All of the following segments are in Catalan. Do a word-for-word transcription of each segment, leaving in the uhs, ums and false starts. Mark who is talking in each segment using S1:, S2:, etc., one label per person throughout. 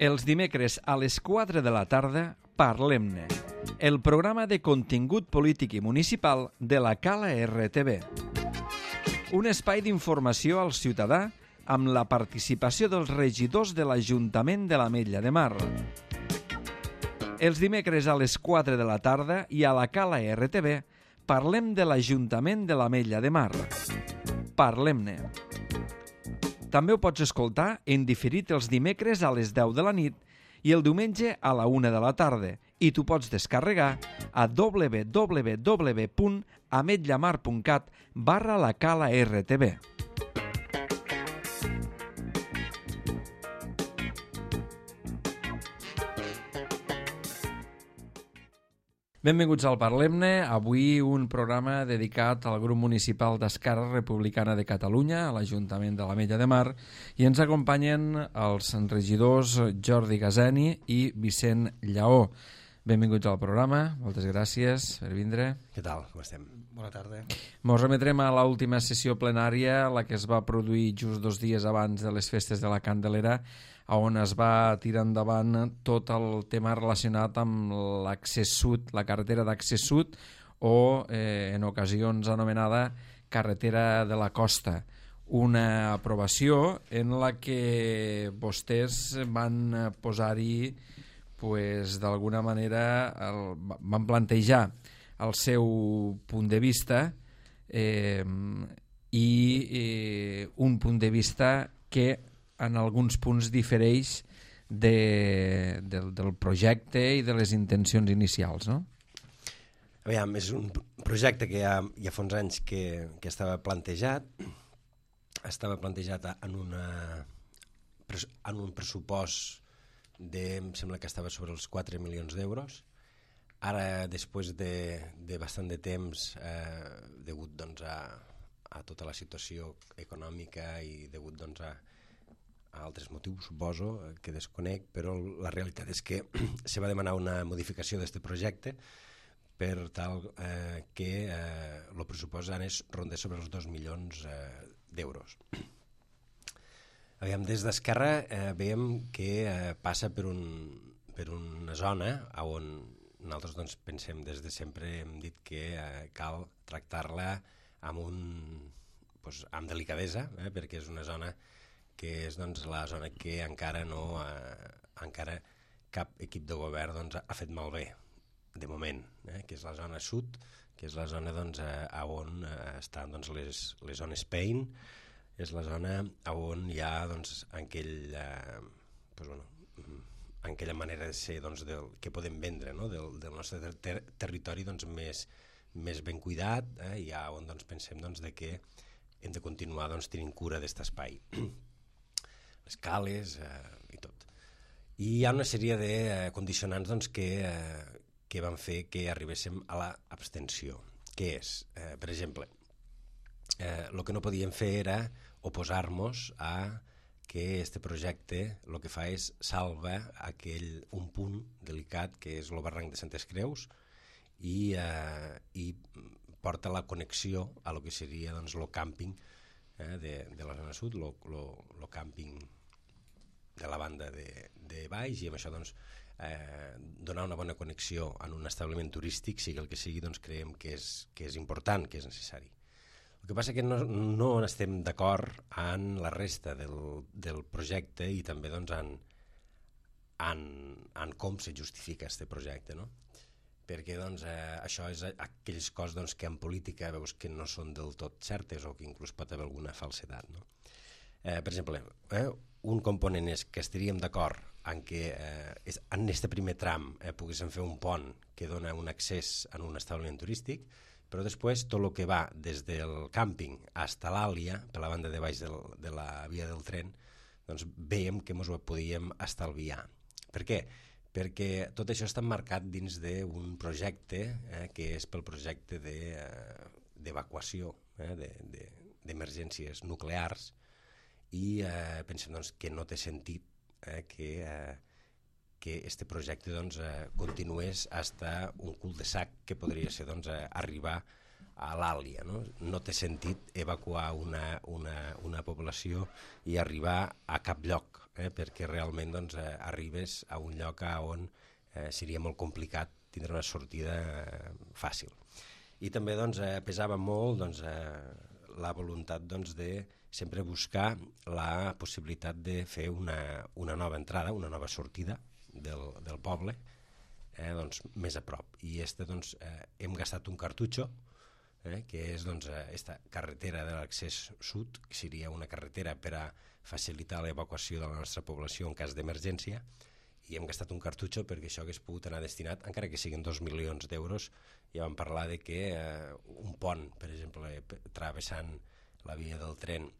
S1: Els dimecres a les quatre de la tarda, Parlem-ne, el programa de contingut polític i municipal de la Cala R T V. Un espai d'informació al ciutadà amb la participació dels regidors de l'Ajuntament de l'Ametlla de Mar. Els dimecres a les quatre de la tarda i a la Cala R T V parlem de l'Ajuntament de l'Ametlla de Mar. Parlem-ne. També ho pots escoltar en diferit els dimecres a les deu de la nit i el diumenge a la una de la tarda i t'ho pots descarregar a w w w punt ametllamar punt cat barra la Cala R T V. Benvinguts al Parlem-ne. Avui un programa dedicat al grup municipal d'Esquerra Republicana de Catalunya, a l'Ajuntament de l'Ametlla de Mar, i ens acompanyen els regidors Jordi Gazeni i Vicent Lleó. Benvinguts al programa, moltes gràcies per vindre.
S2: Què tal? Com estem? Bona tarda.
S1: Ens remetrem a l'última sessió plenària, la que es va produir just dos dies abans de les festes de la Candelera, on es va tirar endavant tot el tema relacionat amb l'accés sud, la carretera d'accés sud, o eh, en ocasions anomenada carretera de la costa. Una aprovació en la que vostès van posar-hi, pues, d'alguna manera, el, van plantejar el seu punt de vista eh, i eh, un punt de vista que en alguns punts difereix de, del, del projecte i de les intencions inicials, no?
S2: Aviam, és un projecte que ja, ja fa uns anys que, que estava plantejat, estava plantejat en, una, en un pressupost de, em sembla que estava sobre els quatre milions d'euros. Ara, després de, de bastant de temps, eh, degut doncs, a, a tota la situació econòmica i degut doncs, a a altres motius, suposo, que desconec, però la realitat és que se va demanar una modificació d'aquest projecte per tal eh, que eh, el pressupost anés rondés sobre els dos milions eh, d'euros. Aviam, des d'Esquerra eh, veiem que eh, passa per, un, per una zona on nosaltres doncs, pensem des de sempre, hem dit que eh, cal tractar-la amb, un, doncs, amb delicadesa, eh, perquè és una zona que és doncs, la zona que encara no eh, encara cap equip de govern doncs, ha fet malbé, de moment, eh, que és la zona sud, que és la zona doncs, eh, on eh, estan doncs, les, les zones Pain, és la zona on hi ha doncs, aquell, eh, doncs, bueno, aquella manera de ser doncs, del, que podem vendre, no? del, del nostre ter territori doncs, més, més ben cuidat, eh, i ha on doncs, pensem doncs, de que hem de continuar doncs, tenint cura d'aquest espai. Les cales eh, i tot. I hi ha una sèrie de eh, condicionants doncs, que, eh, que van fer que arribéssim a l'abstenció. Què és? Eh, per exemple, eh, el que no podíem fer era oposar-nos a que aquest projecte el que fa és salva aquell, un punt delicat que és el barranc de Santes Creus i, eh, i porta la connexió a lo que seria doncs, el càmping Eh, de, de la zona sud, el càmping de la banda de, de baix, i amb això doncs, eh, donar una bona connexió en un establiment turístic, sigui el que sigui, doncs creiem que és, que és important, que és necessari. El que passa és que no, no estem d'acord en la resta del, del projecte i també doncs, en, en, en com se justifica aquest projecte, no? Perquè doncs, eh, això és aquelles coses doncs, que en política veus que no són del tot certes o que inclús pot haver alguna falsedat. No? Eh, per exemple, eh, un component és que estaríem d'acord en que eh, és, en aquest primer tram eh, poguéssim fer un pont que dona un accés en un establiment turístic, però després tot el que va des del càmping fins a l'Àlia, per la banda de baix del, de la via del tren, doncs veiem que ens ho podíem estalviar. Per què? Perquè tot això està marcat dins d'un projecte eh, que és pel projecte d'evacuació de, eh, d'emergències de, nuclears i eh, pensem doncs, que no té sentit eh, que eh, que aquest projecte doncs, eh, continués fins a un cul de sac que podria ser doncs, eh, arribar a l'Àlia, no? No té sentit evacuar una, una, una població i arribar a cap lloc, eh? Perquè realment doncs, eh, arribes a un lloc on eh, seria molt complicat tindre una sortida eh, fàcil. I també doncs, eh, pesava molt doncs, eh, la voluntat doncs, de sempre buscar la possibilitat de fer una, una nova entrada, una nova sortida del, del poble, eh, doncs, més a prop. I este, doncs, eh, hem gastat un cartutxo, eh, que és doncs, esta carretera de l'accés sud, que seria una carretera per a facilitar l'evacuació de la nostra població en cas d'emergència, i hem gastat un cartutxo perquè això hagués pogut anar destinat, encara que siguin dos milions d'euros. Ja vam parlar de que eh, un pont, per exemple, travessant la via del tren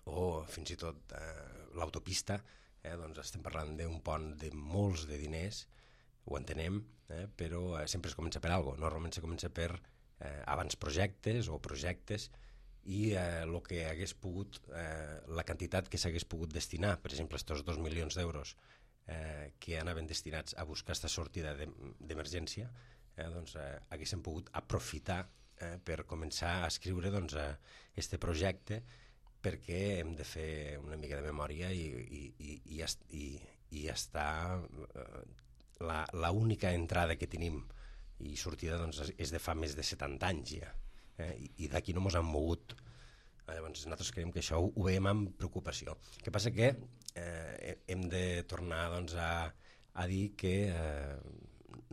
S2: o fins i tot eh, l'autopista, eh, doncs estem parlant d'un pont de molts de diners, ho entenem, eh, però eh, sempre es comença per alguna cosa. Normalment se comença per eh, abans projectes o projectes i el eh, que hagués pogut, eh, la quantitat que s'hagués pogut destinar, per exemple, aquests dos milions d'euros eh, que anaven destinats a buscar aquesta sortida d'emergència, eh, doncs eh, haguéssim pogut aprofitar eh, per començar a escriure doncs, eh, este projecte, perquè hem de fer una mica de memòria i, i, i, i, i, i està eh, la, la única entrada que tenim i sortida doncs, és de fa més de setanta anys ja, eh? I, i d'aquí no ens han mogut. Llavors nosaltres creiem que això ho, ho veiem amb preocupació. El que passa que eh, hem de tornar doncs, a, a dir que eh,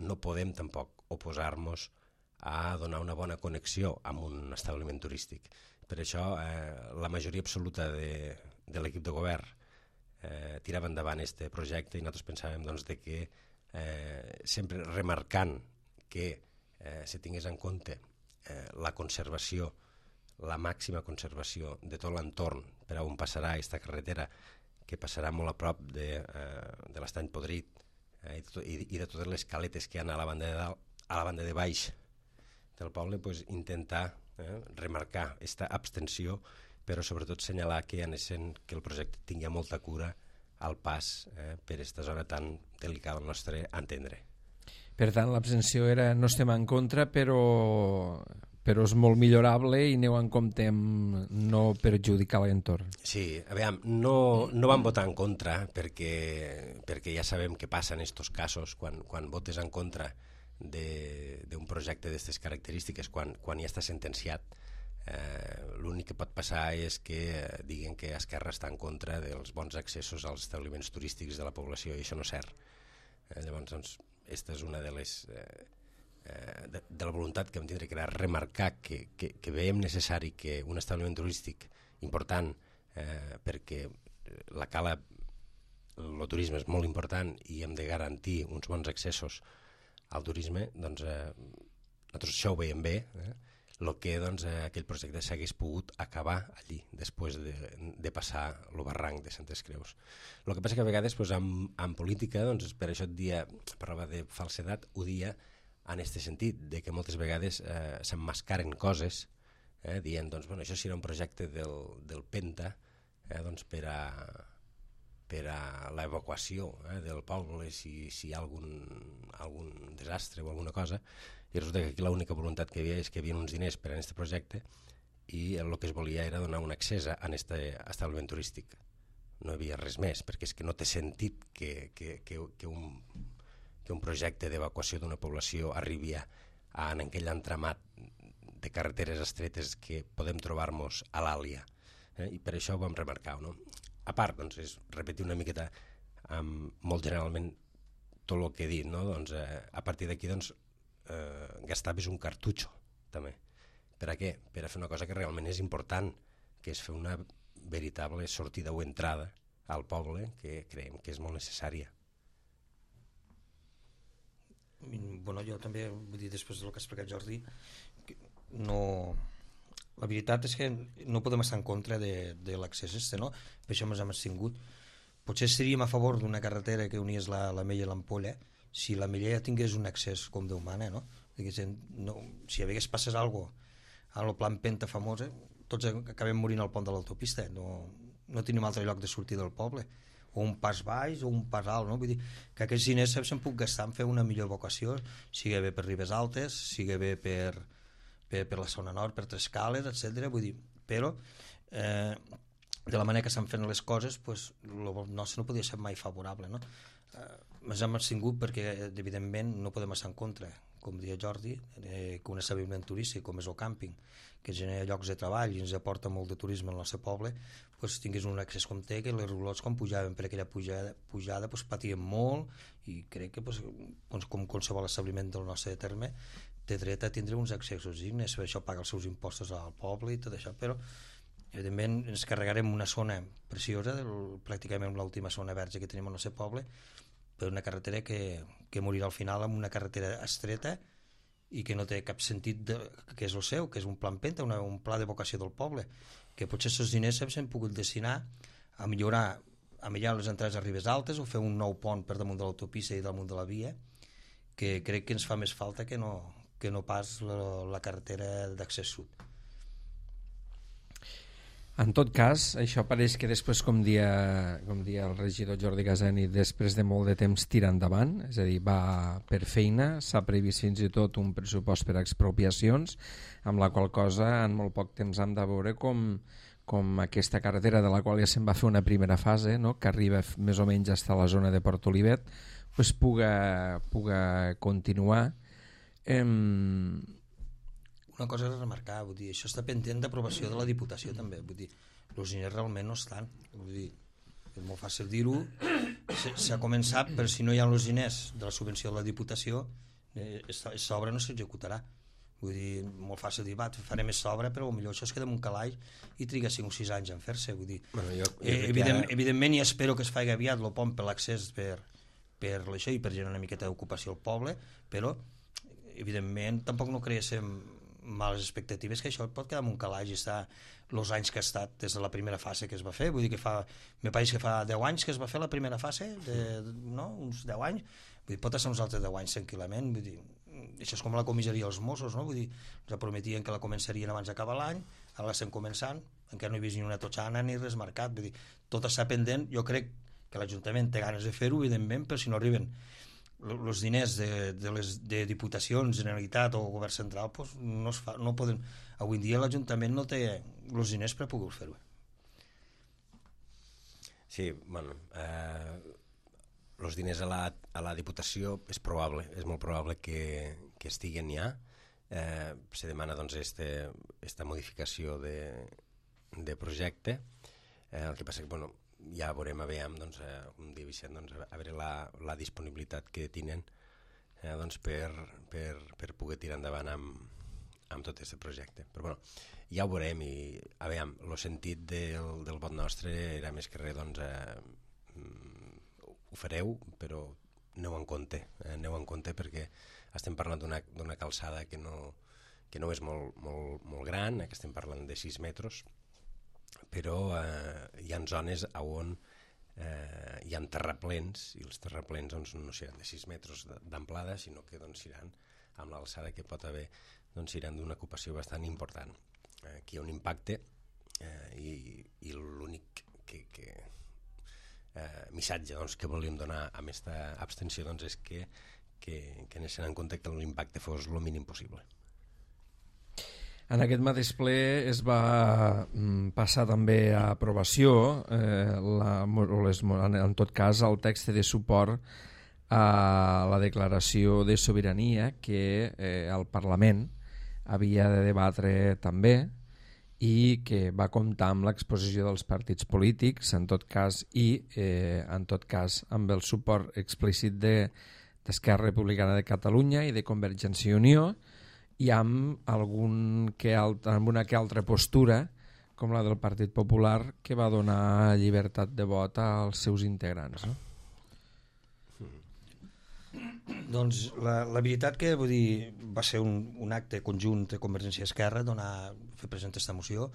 S2: no podem tampoc oposar-nos a donar una bona connexió amb un establiment turístic. Per això eh, la majoria absoluta de, de l'equip de govern eh, tirava endavant aquest projecte i nosaltres pensàvem doncs, de que eh, sempre remarcant que eh, se tingués en compte eh, la conservació, la màxima conservació de tot l'entorn per on passarà aquesta carretera, que passarà molt a prop de, eh, de l'Estany Podrit eh, i, to, i, i de totes les caletes que hi ha a la banda de dalt, a la banda de baix del poble, pues, intentar eh, remarcar aquesta abstenció, però sobretot assenyalar que, anesen, que el projecte tingui molta cura al pas eh, per aquesta zona tan delicada al nostre entendre.
S1: Per tant, l'abstenció era no estem en contra, però, però és molt millorable i aneu en compte amb no perjudicar l'entorn.
S2: Sí, a veure, no, no vam votar en contra perquè, perquè ja sabem què passa en aquests casos quan, quan votes en contra d'un projecte d'aquestes característiques, quan, quan ja està sentenciat. Eh, l'únic que pot passar és que eh, diguen que Esquerra està en contra dels bons accessos als establiments turístics de la població, i això no és cert. Eh, llavors, doncs, aquesta és una de les eh, eh, de, de la voluntat que vam tindre, que era remarcar que, que, que veiem necessari que un establiment turístic important, eh, perquè la cala, el turisme és molt important i hem de garantir uns bons accessos al turisme, doncs eh, nosaltres això ho veiem bé, eh? El que doncs, eh, aquell projecte s'hagués pogut acabar allí, després de, de passar el barranc de Santes Creus. El que passa que a vegades doncs, en, en política, doncs, per això et dia, parlava de falsedat, ho dia en aquest sentit, de que moltes vegades eh, s'emmascaren coses, eh, dient, doncs, bueno, això serà un projecte del, del Penta eh, doncs, per a per a l'evacuació eh, del poble si, si hi ha algun, algun desastre o alguna cosa, i resulta que aquí l'única voluntat que hi havia és que hi havia uns diners per a aquest projecte i el que es volia era donar un accés a aquest establiment turístic. No hi havia res més, perquè és que no té sentit que, que, que, que, un, que un projecte d'evacuació d'una població arribi a, a en aquell entramat de carreteres estretes que podem trobar-nos a l'Àlia. Eh? I per això ho vam remarcar, no? A part, doncs, és repetir una miqueta um, molt generalment tot el que he dit, no? Doncs, eh, a partir d'aquí doncs, eh, gastaves un cartutxo també. Per a què? Per a fer una cosa que realment és important, que és fer una veritable sortida o entrada al poble, que creiem que és molt necessària.
S3: Bueno, jo també vull dir, després del que ha explicat Jordi, no... La veritat és que no podem estar en contra de, de l'accés este, no? Per això ens hem abstingut. Potser seríem a favor d'una carretera que unies la, la Mella i l'Ampolla si la Mella ja tingués un accés com Déu mana, no? no si hagués passat alguna cosa al plan Penta famosa, tots acabem morint al pont de l'autopista. No, no tenim altre lloc de sortir del poble. O un pas baix o un pas alt, no? Vull dir que aquests diners s'han pogut gastar en fer una millor evacuació, sigui bé per Ribes Altes, sigui bé per... per, per la zona nord, per Trescales, etcètera. Vull dir, però eh, de la manera que s'han fet les coses, pues, el nostre no podia ser mai favorable, no? Eh, ens hem abstingut perquè, evidentment, no podem estar en contra, com deia Jordi, eh, que un establiment turístic com és el càmping, que genera llocs de treball i ens aporta molt de turisme al nostre poble, pues, tingués un accés com té, que les roulots quan pujaven per aquella pujada, pujada pues, patien molt, i crec que pues, com qualsevol establiment del nostre terme té dret a tindre uns accessos dignes, per això paga els seus impostos al poble i tot això, però evidentment ens carregarem una zona preciosa, del, pràcticament l'última zona verge que tenim al nostre poble, per una carretera que, que morirà al final amb una carretera estreta i que no té cap sentit de, que és el seu, que és un plan penta, una, un pla de vocació del poble, que potser aquests diners s'han pogut destinar a millorar, a millorar les entrades a Ribes Altes o fer un nou pont per damunt de l'autopista i damunt de la via, que crec que ens fa més falta que no, que no pas la, la carretera d'accés sud.
S1: En tot cas, això pareix que després, com dia, com dia el regidor Jordi Casani, després de molt de temps tira endavant, és a dir, va per feina, s'ha previst fins i tot un pressupost per a expropiacions, amb la qual cosa en molt poc temps hem de veure com, com aquesta carretera, de la qual ja se'n va fer una primera fase, no?, que arriba més o menys fins a la zona de Port Olivet, pues puga, puga continuar. Ehm...
S3: Una cosa a remarcar, vull dir, això està pendent d'aprovació de la Diputació també, vull dir, els diners realment no estan, vull dir, és molt fàcil dir-ho, s'ha començat, però si no hi ha els diners de la subvenció de la Diputació, aquesta obra no s'executarà, vull dir, molt fàcil dir, va, farem aquesta obra, però potser això es queda en un calaix i triga cinc o sis anys en fer-se, vull dir, bueno, jo, jo eh, evident, ara... evidentment i espero que es faci aviat el pont per l'accés per, per això i per generar una miqueta d'ocupació al poble, però evidentment tampoc no creéssim males expectatives, que això pot quedar en un calaix i està els anys que ha estat des de la primera fase que es va fer, vull dir que fa, me pareix que fa deu anys que es va fer la primera fase, de, no? uns deu anys, vull dir, pot estar uns altres deu anys tranquil·lament, vull dir, això és com la comissaria dels Mossos, no? Vull dir, ens prometien que la començarien abans d'acabar l'any, ara l'estem començant, encara no he vist ni una totxana ni res marcat, vull dir, tot està pendent, jo crec que l'Ajuntament té ganes de fer-ho, evidentment, però si no arriben els diners de, de les de Diputacions, Generalitat o Govern Central, pues no, es fa, no poden, avui en dia l'Ajuntament no té els diners per poder fer-ho.
S2: Sí, bueno, eh, els diners a la, a la Diputació és probable, és molt probable que, que estiguen ja. Eh, se demana doncs este, esta modificació de, de projecte. Eh, el que passa que, bueno, ja veurem a veure, doncs, eh, com diu Vicent, doncs, a veure la, la disponibilitat que tenen eh, doncs, per, per, per poder tirar endavant amb, amb tot aquest projecte. Però bueno, ja ho veurem i a veure, el sentit del, del vot nostre era més que res, doncs, eh, ho fareu, però aneu en compte, eh, aneu en compte perquè estem parlant d'una d'una calçada que no, que no és molt, molt, molt gran, que estem parlant de sis metres, però eh, hi ha zones on eh, hi ha terraplens i els terraplens doncs, no seran de sis metres d'amplada, sinó que doncs, seran amb l'alçada que pot haver, doncs, seran d'una ocupació bastant important. Eh, aquí hi ha un impacte eh, i, i l'únic que, que, eh, missatge doncs, que volíem donar amb aquesta abstenció doncs, és que, que, que anessin en compte que l'impacte fos el mínim possible.
S1: En aquest mateix ple es va passar també a aprovació, eh, la, les, en tot cas, el text de suport a la declaració de sobirania que eh, el Parlament havia de debatre també i que va comptar amb l'exposició dels partits polítics, en tot cas, i eh, en tot cas amb el suport explícit d'Esquerra Republicana de Catalunya i de Convergència i Unió, i amb, algun que altra, amb una que altra postura, com la del Partit Popular, que va donar llibertat de vot als seus integrants. No?
S3: Doncs la, la veritat que vull dir, va ser un, un acte conjunt de Convergència i Esquerra, donar, fer present aquesta moció.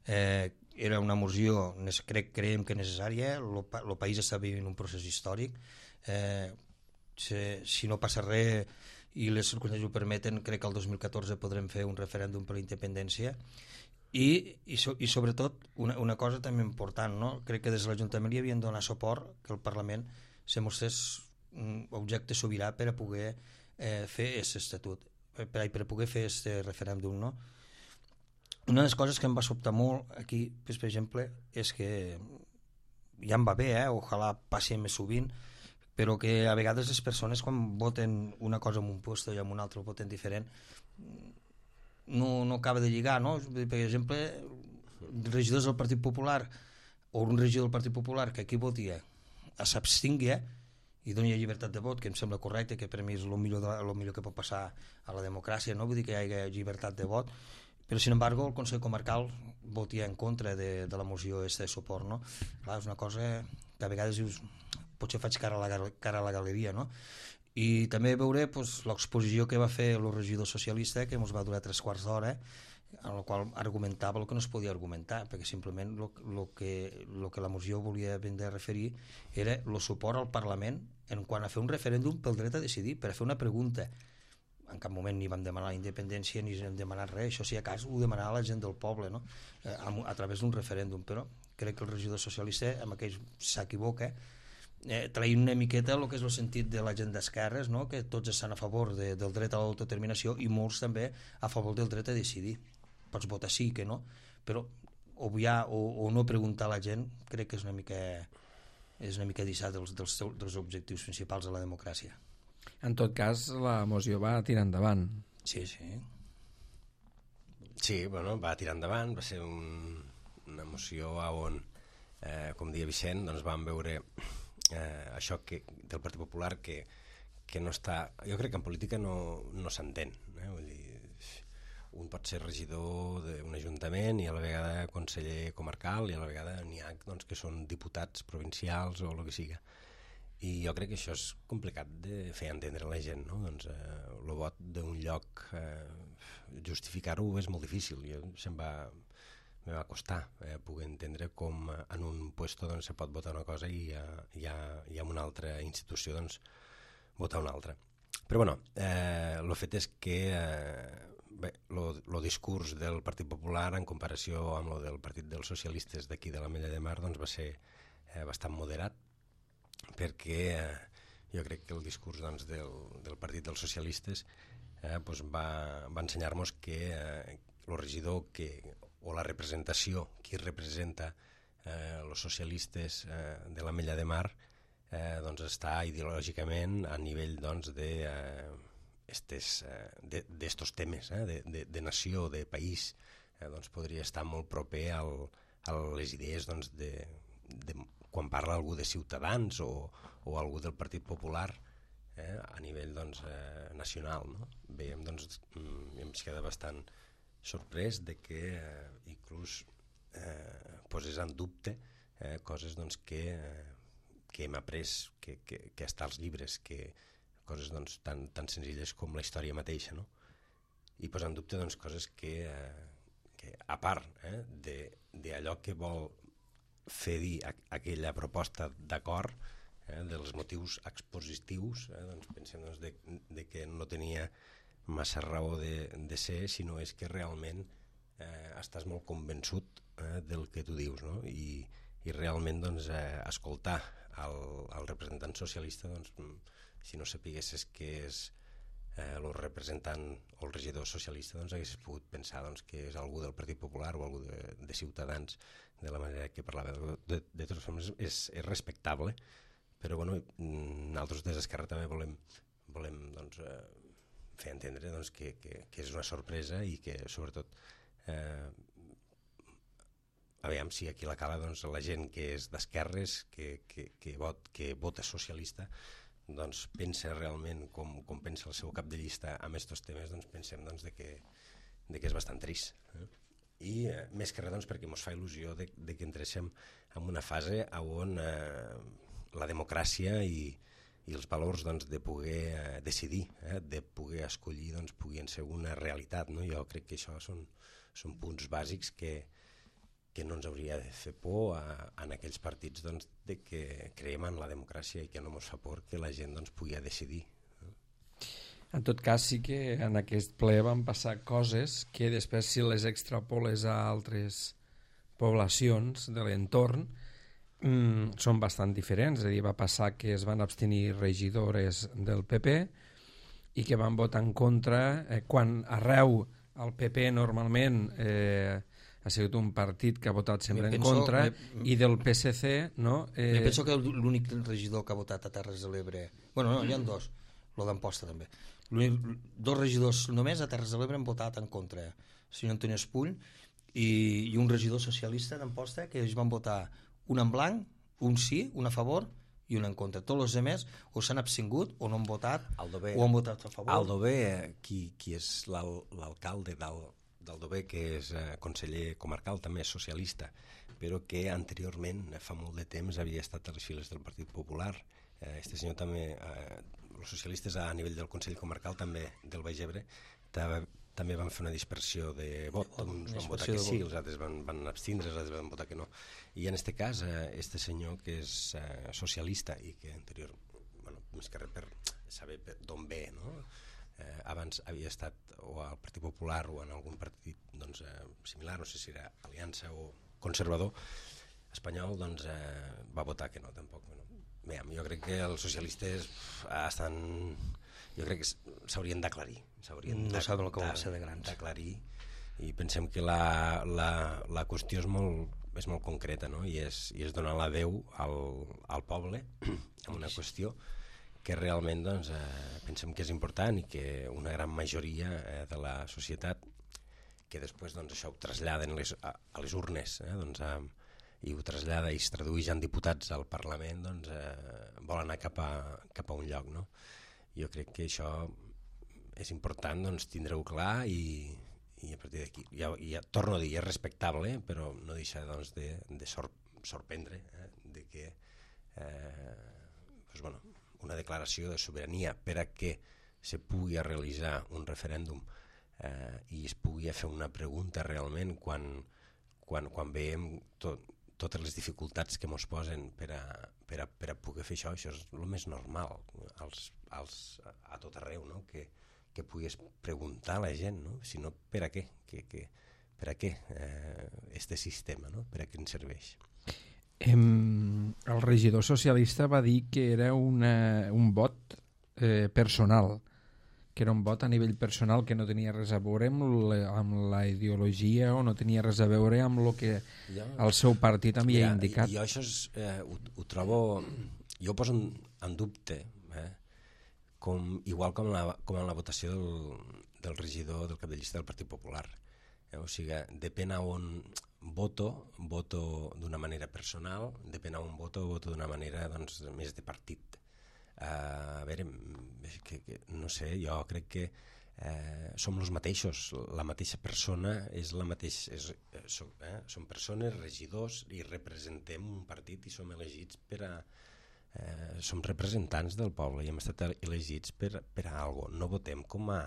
S3: Eh, era una moció, crec, creiem que necessària, el país està vivint un procés històric. Eh, si, si no passa res i les circumstàncies ho permeten, crec que el dos mil catorze podrem fer un referèndum per la independència i, i, so, i sobretot una, una cosa també important, no? Crec que des de l'Ajuntament li havien donat suport que el Parlament se mostrés un objecte sobirà per a poder eh, fer aquest estatut. per, per poder fer aquest referèndum, no? Una de les coses que em va sobtar molt aquí, per exemple, és que ja em va bé, eh? Ojalà passi més sovint, però que a vegades les persones quan voten una cosa en un lloc i en un altre voten diferent, no, no acaba de lligar, no? Per exemple, regidors del Partit Popular o un regidor del Partit Popular que aquí votia s'abstingui i doni llibertat de vot, que em sembla correcte, que per mi és el millor, de, el millor que pot passar a la democràcia, no? Vull dir que hi hagi llibertat de vot, però sin embargo el Consell Comarcal votia en contra de, de la moció aquesta de suport, no? Clar, és una cosa que a vegades dius, potser faig cara a la, cara a la galeria, no? I també veuré pues, l'exposició que va fer el regidor socialista, que ens va durar tres quarts d'hora, en el qual argumentava el que no es podia argumentar, perquè simplement el que, lo que la moció volia vendre a referir era el suport al Parlament en quant a fer un referèndum pel dret a decidir, per a fer una pregunta. En cap moment ni vam demanar la independència ni hem demanat res, això si a cas ho demanava la gent del poble, no? a, a través d'un referèndum, però crec que el regidor socialista amb aquell s'equivoca, eh, traient una miqueta el que és el sentit de la gent d'esquerres, no? Que tots estan a favor de, del dret a l'autodeterminació i molts també a favor del dret a decidir. Pots votar sí, que no, però obviar o, o no preguntar a la gent crec que és una mica és una mica deixar dels, dels, dels objectius principals de la democràcia.
S1: En tot cas, la moció va tirar endavant.
S3: Sí, sí.
S2: Sí, bueno, va tirar endavant, va ser un, una moció on, eh, com dia Vicent, doncs vam veure eh, això que, del Partit Popular que, que no està... Jo crec que en política no, no s'entén, eh? Vull dir, un pot ser regidor d'un ajuntament i a la vegada conseller comarcal i a la vegada n'hi ha doncs, que són diputats provincials o el que siga. I jo crec que això és complicat de fer entendre a la gent, no? Doncs eh, el vot d'un lloc, eh, justificar-ho és molt difícil. Jo se'm va, me va costar eh, poder entendre com en un puesto doncs, se pot votar una cosa i ja, ja, ja en una altra institució doncs, votar una altra. Però bueno, eh, el fet és que eh, bé, el discurs del Partit Popular en comparació amb el del Partit dels Socialistes d'aquí de l'Ametlla de Mar doncs, va ser eh, bastant moderat, perquè eh, jo crec que el discurs doncs, del, del Partit dels Socialistes eh, doncs va, va ensenyar-nos que eh, el regidor que, o la representació, qui representa eh, els socialistes eh, de l'Ametlla de Mar eh, doncs està ideològicament a nivell doncs, de... Eh, estes, eh, d'estos temes eh, de, de, de nació, de país, eh, doncs podria estar molt proper al, a les idees doncs, de, de, quan parla algú de Ciutadans o, o algú del Partit Popular eh, a nivell doncs, eh, nacional. No? Veiem, doncs, em queda bastant sorprès de que eh, inclús eh, poses en dubte eh, coses doncs, que, eh, que hem après, que, que, que està als llibres, que coses doncs, tan, tan senzilles com la història mateixa, no? I posar en dubte doncs, coses que, eh, que a part eh, d'allò que vol fer dir a, aquella proposta d'acord, eh, dels motius expositius, eh, doncs pensem doncs, de, de que no tenia massa raó de, de ser, sinó és que realment eh, estàs molt convençut eh, del que tu dius, no? I, i realment doncs, eh, escoltar el, el representant socialista doncs, si no sapiguessis que és eh, el representant o el regidor socialista, doncs haguessis pogut pensar doncs, que és algú del Partit Popular o algú de, de Ciutadans, de la manera que parlava. De, de totes formes, és, és respectable, però bueno, nosaltres des d'Esquerra també volem, volem doncs, eh, fer entendre doncs, que, que, que és una sorpresa i que sobretot eh, aviam si aquí a la cala doncs, la gent que és d'esquerres, que, que, que, vot, que vota socialista, doncs pensa realment com, com pensa el seu cap de llista amb aquests temes, doncs pensem doncs, de que, de que és bastant trist. Eh? I eh, més que res doncs, perquè ens fa il·lusió de, de que entréssim en una fase on eh, la democràcia i, i els valors doncs, de poder eh, decidir, eh, de poder escollir, doncs, puguin ser una realitat. No? Jo crec que això són, són punts bàsics que, que no ens hauria de fer por a, a aquells partits doncs, de que creiem en la democràcia i que no ens fa por que la gent doncs, pugui decidir.
S1: En tot cas, sí que en aquest ple van passar coses que després, si les extrapoles a altres poblacions de l'entorn, mmm, són bastant diferents. És a dir, va passar que es van abstenir regidores del P P i que van votar en contra, eh, quan arreu el P P normalment eh, ha sigut un partit que ha votat sempre en contra, me, i del P S C, no?
S3: Eh... penso que l'únic regidor que ha votat a Terres de l'Ebre... Bueno, no, hi ha dos, el d'Amposta també. Dos regidors només a Terres de l'Ebre han votat en contra, el senyor Antoni Espull i, i un regidor socialista d'Amposta, que ells van votar un en blanc, un sí, un a favor i un en contra. Tots els altres o s'han abstingut o no han votat
S2: Aldover,
S3: o han votat a favor.
S2: Aldover, qui, qui és l'alcalde d'Aldover, que és eh, conseller comarcal, també és socialista, però que anteriorment, fa molt de temps, havia estat a les files del Partit Popular. Eh, este senyor també, eh, els socialistes a nivell del Consell Comarcal també del Baix Ebre, també van fer una dispersió de vot, uns van votar que sí, els altres van, van abstindre, els altres van votar que no. I en aquest cas, eh, este senyor que és eh, socialista i que anterior, bueno, més que res per saber d'on ve, no? Eh, abans havia estat o al Partit Popular o en algun partit doncs, eh, similar, no sé si era Aliança o Conservador espanyol, doncs eh, va votar que no, tampoc. No? Bé, jo crec que els socialistes estan... Jo crec que s'haurien d'aclarir.
S3: No saben el que vol ser de grans.
S2: D'aclarir, i pensem que la, la, la qüestió és molt, és molt concreta, no? I, és, i és donar la veu al, al poble en una qüestió que realment doncs, eh, pensem que és important i que una gran majoria eh, de la societat, que després doncs, això ho traslladen les, a, a les urnes, eh, doncs, a, i ho trasllada i es tradueix en diputats al Parlament, doncs, eh, vol anar cap a, cap a un lloc, no? Jo crec que això és important doncs, tindre-ho clar i, i a partir d'aquí, ja, ja, torno a dir, és respectable, però no deixa doncs, de, de sor, sorprendre eh, de que eh, doncs, bueno, una declaració de sobirania per a que se pugui realitzar un referèndum eh, i es pugui fer una pregunta realment quan, quan, quan veiem tot, totes les dificultats que ens posen per a, per, a, per a poder fer això, això és el més normal als, als, a tot arreu, no? que, que puguis preguntar a la gent, no? Si no, per a què? Que, que, per a què eh, este sistema, no? Per a què ens serveix?
S1: Em, el regidor socialista va dir que era una, un vot eh, personal, que era un vot a nivell personal que no tenia res a veure amb la, amb la ideologia o no tenia res a veure amb el que jo, el seu partit havia mira, indicat.
S2: Jo això és, eh, ho, ho trobo... Jo ho poso en, en dubte, eh? Com, igual com, la, com en la votació del, del regidor del cap de llista del Partit Popular. Eh? O sigui, depèn a on voto, voto d'una manera personal, depèn a on voto, voto d'una manera doncs, més de partit. Uh, a veure, que, que, no sé, jo crec que eh, som els mateixos, la mateixa persona és la mateixa, és, eh, som, eh, som persones, regidors, i representem un partit i som elegits per a eh, som representants del poble i hem estat elegits per, per a algo, no votem com a,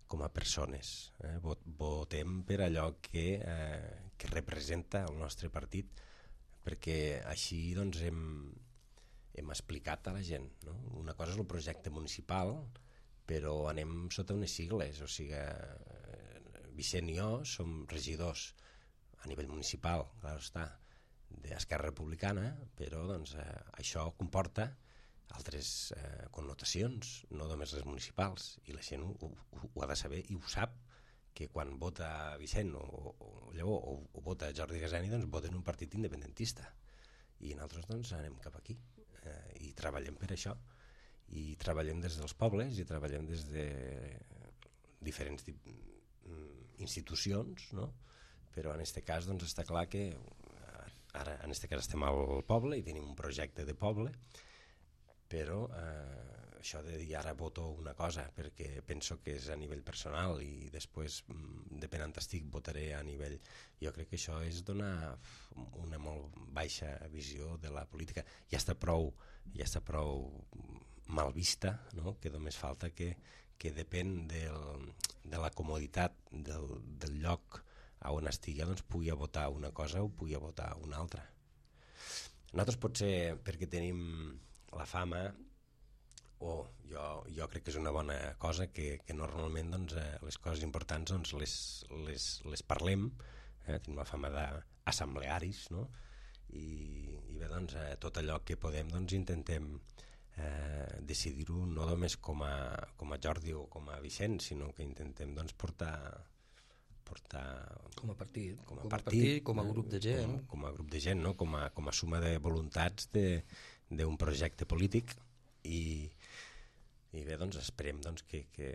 S2: com a persones, eh? Votem per allò que, eh, que representa el nostre partit, perquè així doncs hem hem explicat a la gent, no? Una cosa és el projecte municipal, però anem sota unes sigles, o sigui, Vicent i jo som regidors a nivell municipal, clar està, d'Esquerra Republicana, però doncs, eh, això comporta altres eh, connotacions, no només les municipals, i la gent ho, ho, ho ha de saber i ho sap, que quan vota Vicent o, o, o, o, o vota Jordi Gasani, doncs voten un partit independentista, i nosaltres doncs, anem cap aquí. Eh, i treballem per això i treballem des dels pobles i treballem des de diferents institucions, no? Però en aquest cas doncs, està clar que ara en aquest cas estem al poble i tenim un projecte de poble, però eh, això de dir ara voto una cosa perquè penso que és a nivell personal i després depèn on estic votaré a nivell, jo crec que això és donar una molt baixa visió de la política. Ja està prou, ja està prou mal vista, no? Que només falta que, que depèn del, de la comoditat del, del lloc on estigui, doncs pugui votar una cosa o pugui votar una altra. Nosaltres potser perquè tenim la fama, o jo, jo crec que és una bona cosa que, que normalment doncs, eh, les coses importants doncs, les, les, les parlem, eh? Tenim la fama d'assemblearis, no? I, i bé, doncs, eh, tot allò que podem doncs, intentem eh, decidir-ho no només com a, com a Jordi o com a Vicent, sinó que intentem doncs, portar, portar
S3: com a partit,
S2: com a,
S3: com a,
S2: partit,
S3: partit, com a grup de gent.
S2: Com, com a grup de gent, no? com, a, com a suma de voluntats d'un projecte polític i, i bé, doncs esperem doncs, que, que,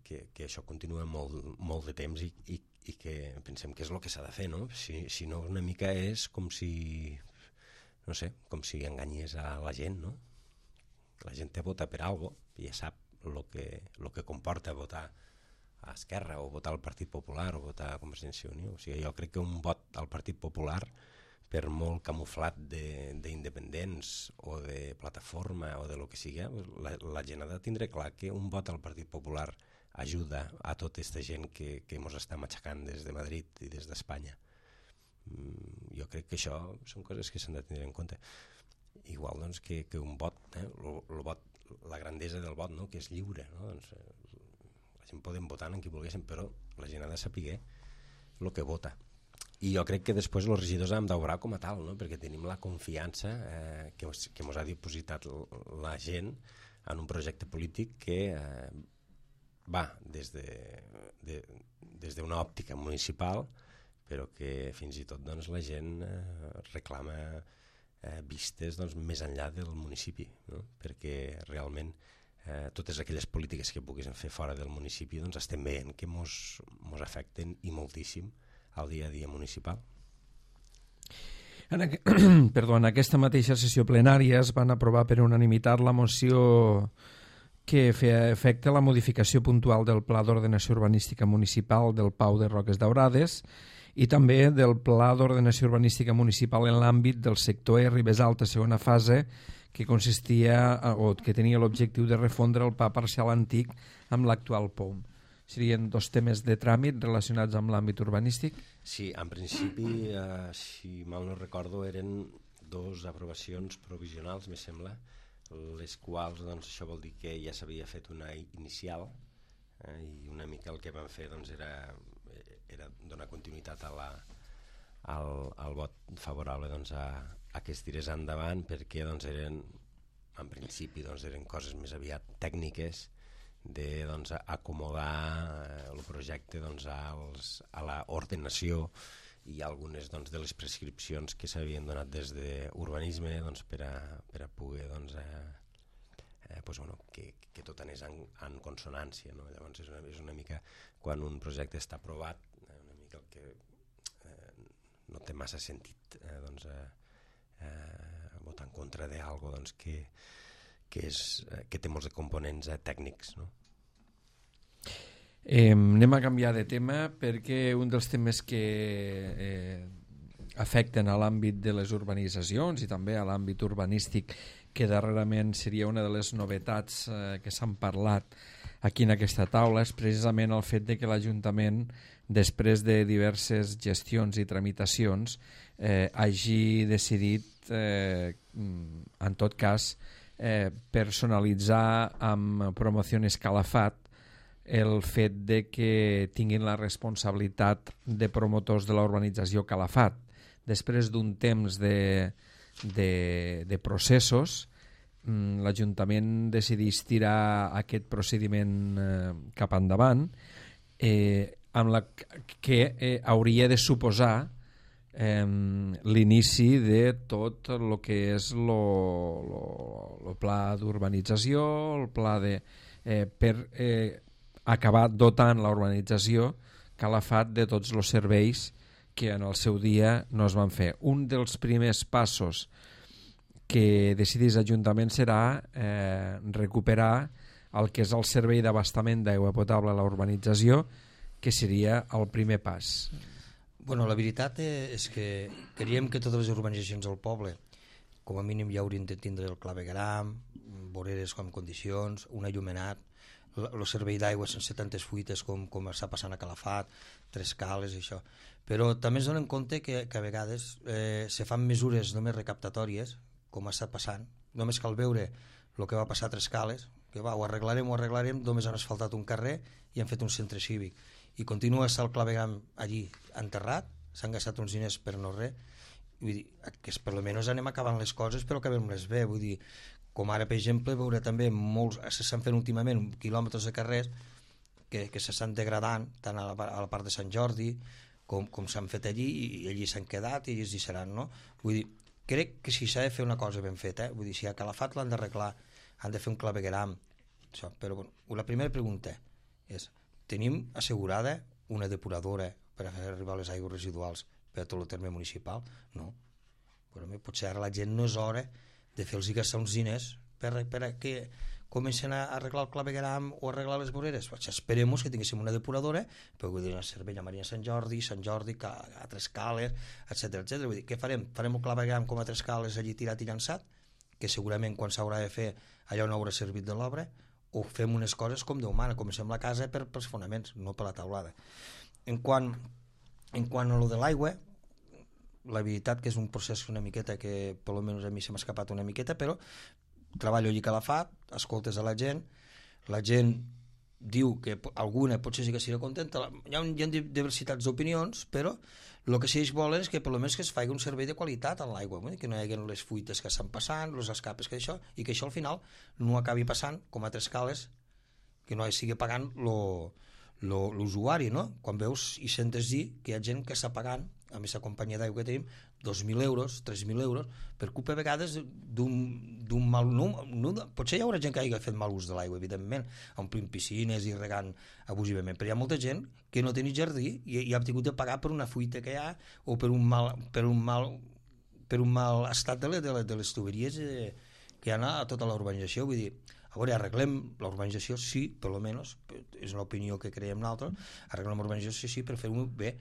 S2: que, que això continua molt, molt de temps i, i, i que pensem que és el que s'ha de fer, no? Si, si no una mica és com si, no sé, com si enganyés a la gent, no? La gent te vota per algo i ja sap el que, lo que comporta votar a Esquerra o votar al Partit Popular o votar a Convergència i Unió. O sigui, jo crec que un vot al Partit Popular, per molt camuflat d'independents o de plataforma o de lo que sigui, la, la gent ha de tindre clar que un vot al Partit Popular ajuda a tota aquesta gent que, que ens està matxacant des de Madrid i des d'Espanya. Mm, jo crec que això són coses que s'han de tenir en compte. Igual doncs, que, que un vot, eh, el, el vot, la grandesa del vot, no? Que és lliure, no? Doncs, la gent podem votar en qui volguéssim, però la gent ha de saber el que vota. I jo crec que després els regidors hem d'obrar com a tal, no? Perquè tenim la confiança eh, que, que ens ha dipositat la gent en un projecte polític que eh, va des de, de, des d'una òptica municipal, però que fins i tot doncs, la gent eh, reclama eh, vistes doncs, més enllà del municipi, no? Perquè realment eh, totes aquelles polítiques que puguin fer fora del municipi doncs, estem veient que mos, mos afecten i moltíssim al dia a dia municipal.
S1: En, aqu... Perdó, en aquesta mateixa sessió plenària es van aprovar per unanimitat la moció que feia efecte la modificació puntual del Pla d'Ordenació Urbanística Municipal del Pau de Roques Daurades i també del Pla d'Ordenació Urbanística Municipal en l'àmbit del sector E Ribes Alta, segona fase, que consistia o que tenia l'objectiu de refondre el P A parcial antic amb l'actual P O M. Serien dos temes de tràmit relacionats amb l'àmbit urbanístic?
S2: Sí, en principi, eh, si mal no recordo, eren dos aprovacions provisionals, me sembla, les quals, doncs, això vol dir que ja s'havia fet una inicial eh, i una mica el que van fer doncs, era, era donar continuïtat a la, al, al vot favorable doncs, a, a que es tirés endavant, perquè doncs, eren, en principi doncs, eren coses més aviat tècniques de doncs, acomodar eh, el projecte doncs, als, a l'ordenació i algunes doncs, de les prescripcions que s'havien donat des d'urbanisme doncs, per, a, per a poder doncs, eh, eh, pues, bueno, que, que tot anés en, en consonància, no? Llavors és una, és una mica quan un projecte està aprovat eh, una mica el que eh, no té massa sentit eh, doncs, eh, eh, votar en contra d'algo doncs, que que, és, que té molts de components eh, tècnics, no?
S1: Eh, anem a canviar de tema perquè un dels temes que eh, afecten a l'àmbit de les urbanitzacions i també a l'àmbit urbanístic, que darrerament seria una de les novetats eh, que s'han parlat aquí en aquesta taula, és precisament el fet de que l'Ajuntament, després de diverses gestions i tramitacions, eh, hagi decidit, eh, en tot cas, Eh, personalitzar amb Promociones Calafat el fet de que tinguin la responsabilitat de promotors de la urbanització Calafat. Després d'un temps de, de, de processos, l'Ajuntament decidís tirar aquest procediment eh, cap endavant, eh, amb la que eh, hauria de suposar Eh, l'inici de tot el que és el pla d'urbanització, el pla de, eh, per eh, acabar dotant la urbanització Calafat de tots els serveis que en el seu dia no es van fer. Un dels primers passos que decidís l'Ajuntament serà eh, recuperar el que és el servei d'abastament d'aigua potable a la urbanització, que seria el primer pas.
S3: Bueno, la veritat és que creiem que totes les urbanitzacions del poble com a mínim ja haurien de tindre el clavegram, voreres en condicions, un allumenat, el servei d'aigua sense tantes fuites com, com està passant a Calafat, tres cales i això. Però també es donen compte que, que a vegades eh, se fan mesures només recaptatòries, com ha estat passant. Només cal veure el que va passar a Tres Cales, que va, ho arreglarem, ho arreglarem, només han asfaltat un carrer i han fet un centre cívic. I continua estar el clavegram allí enterrat, s'han gastat uns diners per no res, vull dir, que per almenys anem acabant les coses però acabem-les bé, vull dir, Com ara, per exemple, veure també molts, s'estan fent últimament quilòmetres de carrers que, que s'estan degradant tant a la, a la part de Sant Jordi com, com s'han fet allí, i allí s'han quedat i allí es deixaran, no? Vull dir, crec que si s'ha de fer una cosa ben feta, eh? Vull dir, si a Calafat l'han d'arreglar, han de fer un clavegueram, això, però bueno, la primera pregunta és, tenim assegurada una depuradora per a fer arribar les aigües residuals per a tot el terme municipal? No. Però potser ara la gent no és hora de fer-los gastar uns diners per, per a que comencen a arreglar el clavegueram o arreglar les voreres. Pues esperem que tinguéssim una depuradora, però vull dir, a Cervella, Maria Sant Jordi, Sant Jordi, a Tres Cales, etcètera etcètera. Vull dir, què farem? Farem el clavegueram com a Tres Cales allí tirat i llançat, que segurament quan s'haurà de fer allò no haurà servit de l'obra, o fem unes coses com Déu mana, comencem la casa per, pels fonaments, no per la taulada. En quant, en quant a lo de l'aigua, la veritat que és un procés una miqueta que per almenys a mi se m'ha escapat una miqueta, però treballo allí a Calafat, escoltes a la gent, la gent diu que alguna potser sí que serà contenta, hi ha, hi ha diversitats d'opinions, però el que sí ells volen és que per almenys que es faci un servei de qualitat en l'aigua, que no hi hagi les fuites que estan passant, els escapes que això, i que això al final no acabi passant com a Tres Cales, que no hi sigui pagant l'usuari, no? Quan veus i sentes dir que hi ha gent que està pagant a aquesta companyia d'aigua que tenim dos mil euros, tres mil euros per culpa a vegades d'un mal no, no, potser hi haurà gent que hagi fet mal ús de l'aigua, evidentment, omplint piscines i regant abusivament, però hi ha molta gent que no té ni jardí i, i ha tingut de pagar per una fuita que hi ha o per un mal, per un mal, per un mal estat de, de, de les tuberies eh, que hi ha a tota la urbanització. Vull dir, a veure, arreglem la urbanització, sí, per almenys, és una opinió que creiem nosaltres, arreglem la urbanització, sí, per fer-ho bé,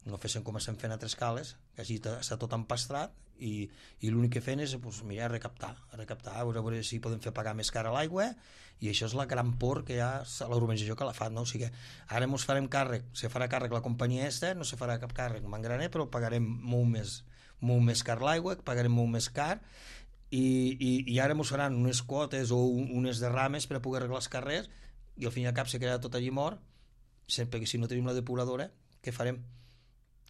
S3: no fessin com estem fent a Tres Cales, que així està tot empastrat i, i l'únic que fem és pues, mira, recaptar, recaptar, a veure si podem fer pagar més cara l'aigua, i això és la gran por que hi ha a la urbanització que la fa, no? O sigui, ara ens farem càrrec, se farà càrrec la companyia esta, no se farà cap càrrec Mangraner, però pagarem molt més, molt més car l'aigua, pagarem molt més car, i, i, i ara ens faran unes quotes o un, unes derrames per a poder arreglar els carrers, i al fin i al cap se quedarà tot allí mort, sempre que si no tenim la depuradora, què farem?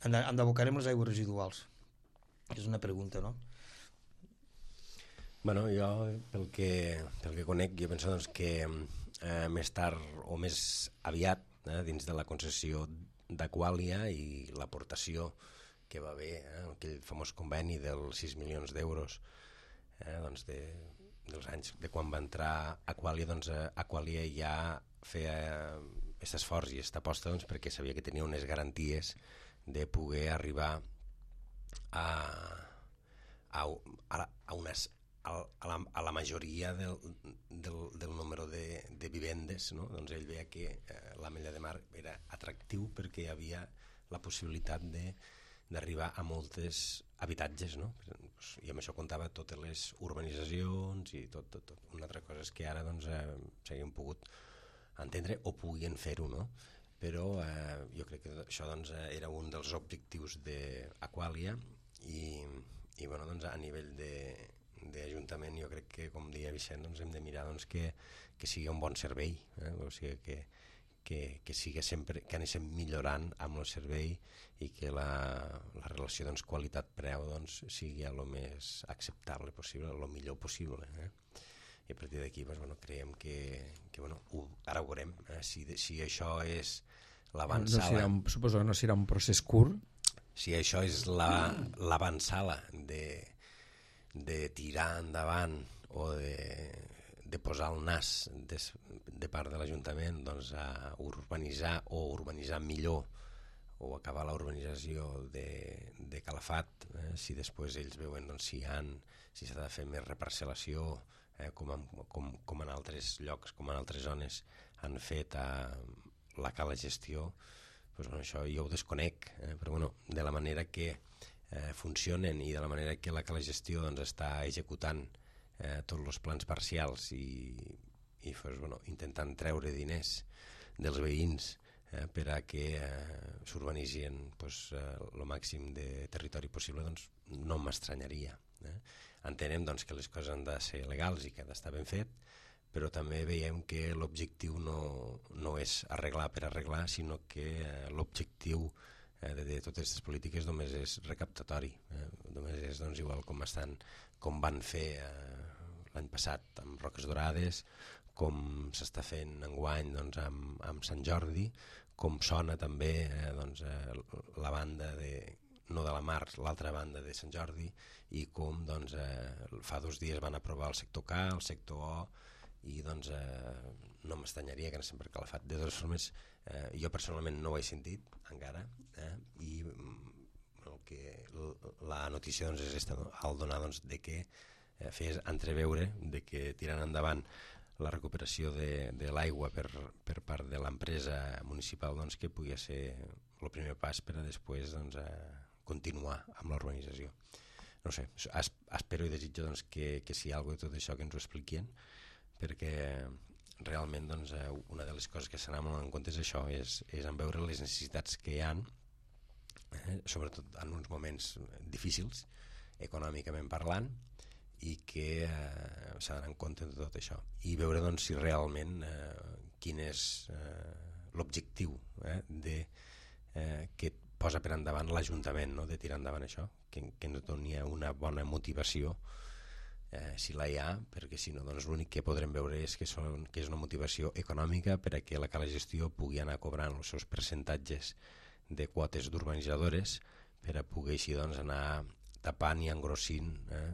S3: Endabocarem les aigües residuals? És una pregunta, no?
S2: Bueno, jo, pel que, pel que conec, jo penso doncs, que eh, més tard o més aviat, eh, dins de la concessió d'Aquàlia i l'aportació que va haver, eh, aquell famós conveni dels sis milions d'euros, eh, doncs de, dels anys de quan va entrar Aquàlia, doncs eh, Aquàlia ja feia aquest esforç i aquesta aposta doncs, perquè sabia que tenia unes garanties de poder arribar a, a, a, unes, a, la, a la majoria del, del, del número de, de vivendes, no? Doncs ell veia que eh, l'Ametlla de Mar era atractiu perquè hi havia la possibilitat de, d'arribar a moltes habitatges, no? I amb això comptava totes les urbanitzacions i tot, tot, tot. Una altra cosa és que ara doncs, eh, s'haguem pogut entendre o puguin fer-ho, no? Però eh, jo crec que això doncs, era un dels objectius d'Aquàlia i, i bueno, doncs, a nivell d'Ajuntament jo crec que, com deia Vicent, doncs, hem de mirar doncs, que, que sigui un bon servei, eh? O sigui, que, que, que, sigui sempre, que anem millorant amb el servei i que la, la relació doncs, qualitat-preu doncs, sigui el més acceptable possible, el millor possible, eh? I a partir d'aquí doncs, bueno, creiem que, que bueno, ho, ara ho veurem, eh? si, si això és l'avançala...
S1: No un, suposo que no serà un procés curt?
S2: Si això és la, l'avançala de, de tirar endavant o de, de posar el nas de, de part de l'Ajuntament doncs, a urbanitzar o urbanitzar millor o acabar la urbanització de, de Calafat, eh? Si després ells veuen doncs, si, han, si s'ha de fer més reparcel·lació, Eh, com, en, com, com en altres llocs, com en altres zones han fet a la cala gestió, doncs, bueno, això jo ho desconec, eh, però bueno, de la manera que eh, funcionen i de la manera que la cala gestió doncs, està executant eh, tots els plans parcials i, i doncs, bueno, intentant treure diners dels veïns eh, per a que eh, s'urbanitzin doncs, eh, el màxim de territori possible, doncs no m'estranyaria. Eh? Entenem doncs, que les coses han de ser legals i que ha d'estar ben fet, però també veiem que l'objectiu no, no és arreglar per arreglar, sinó que eh, l'objectiu eh, de, de totes aquestes polítiques només és recaptatori, eh? Només és doncs, igual com, estan, com van fer eh, l'any passat amb Roques Dorades, com s'està fent enguany doncs, amb, amb Sant Jordi, com sona també eh, doncs, eh, la banda de, no de la Mar, l'altra banda de Sant Jordi, i com doncs, eh, fa dos dies van aprovar el sector K, el sector O, i doncs eh, no m'estanyaria que anessin per Calafat. De totes formes, eh, jo personalment no ho he sentit encara, eh, i el que, la notícia doncs, és esta, no? Al donar doncs, de que eh, fes entreveure de que tirant endavant la recuperació de, de l'aigua per, per part de l'empresa municipal, doncs, que pugui ser el primer pas per a després doncs, eh, continuar amb l'urbanització. No sé, es, espero i desitjo doncs, que, que si hi ha alguna cosa de tot això que ens ho expliquin, perquè realment doncs, eh, una de les coses que s'anà molt en compte és això, és, és en veure les necessitats que hi ha, eh, sobretot en uns moments difícils, econòmicament parlant, i que eh, s'ha d'anar en compte de tot això i veure doncs, si realment eh, quin és eh, l'objectiu eh, de, eh, que posa per endavant l'Ajuntament, no? De tirar endavant això, que, que ens doni una bona motivació eh, si la hi ha, perquè si no doncs, l'únic que podrem veure és que, són, que és una motivació econòmica per a que la Cala Gestió pugui anar cobrant els seus percentatges de quotes d'urbanitzadores per a poder així doncs, anar tapant i engrossint eh,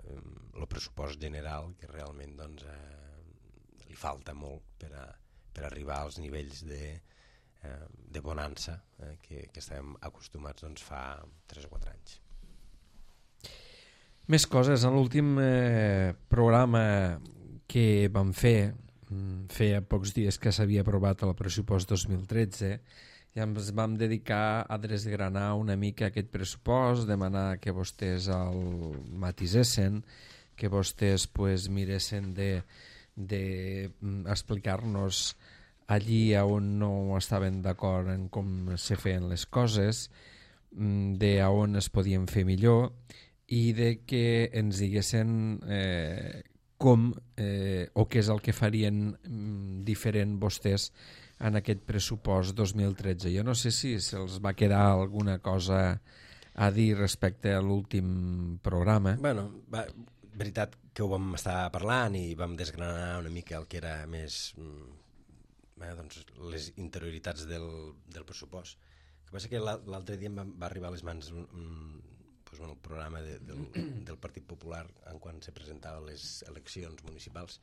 S2: el pressupost general que realment doncs, eh, li falta molt per, a, per arribar als nivells de, eh, de bonança eh, que, que estem acostumats doncs, fa tres o quatre anys.
S1: Més coses. En l'últim eh, programa que vam fer, feia pocs dies que s'havia aprovat el pressupost dos mil tretze, i ens vam dedicar a desgranar una mica aquest pressupost, demanar que vostès el matisessin, que vostès pues, miressin de, de explicar-nos allí on no estaven d'acord en com se feien les coses, de on es podien fer millor i de que ens diguessin eh, com eh, o què és el que farien diferent vostès en aquest pressupost dos mil tretze. Jo no sé si se'ls va quedar alguna cosa a dir respecte a l'últim programa.
S2: Bueno, va, veritat que ho vam estar parlant i vam desgranar una mica el que era més eh, doncs, les interioritats del, del pressupost. El que passa que l'altre dia em va, va arribar a les mans un, un, doncs, un programa de, del, del Partit Popular en quan se presentaven les eleccions municipals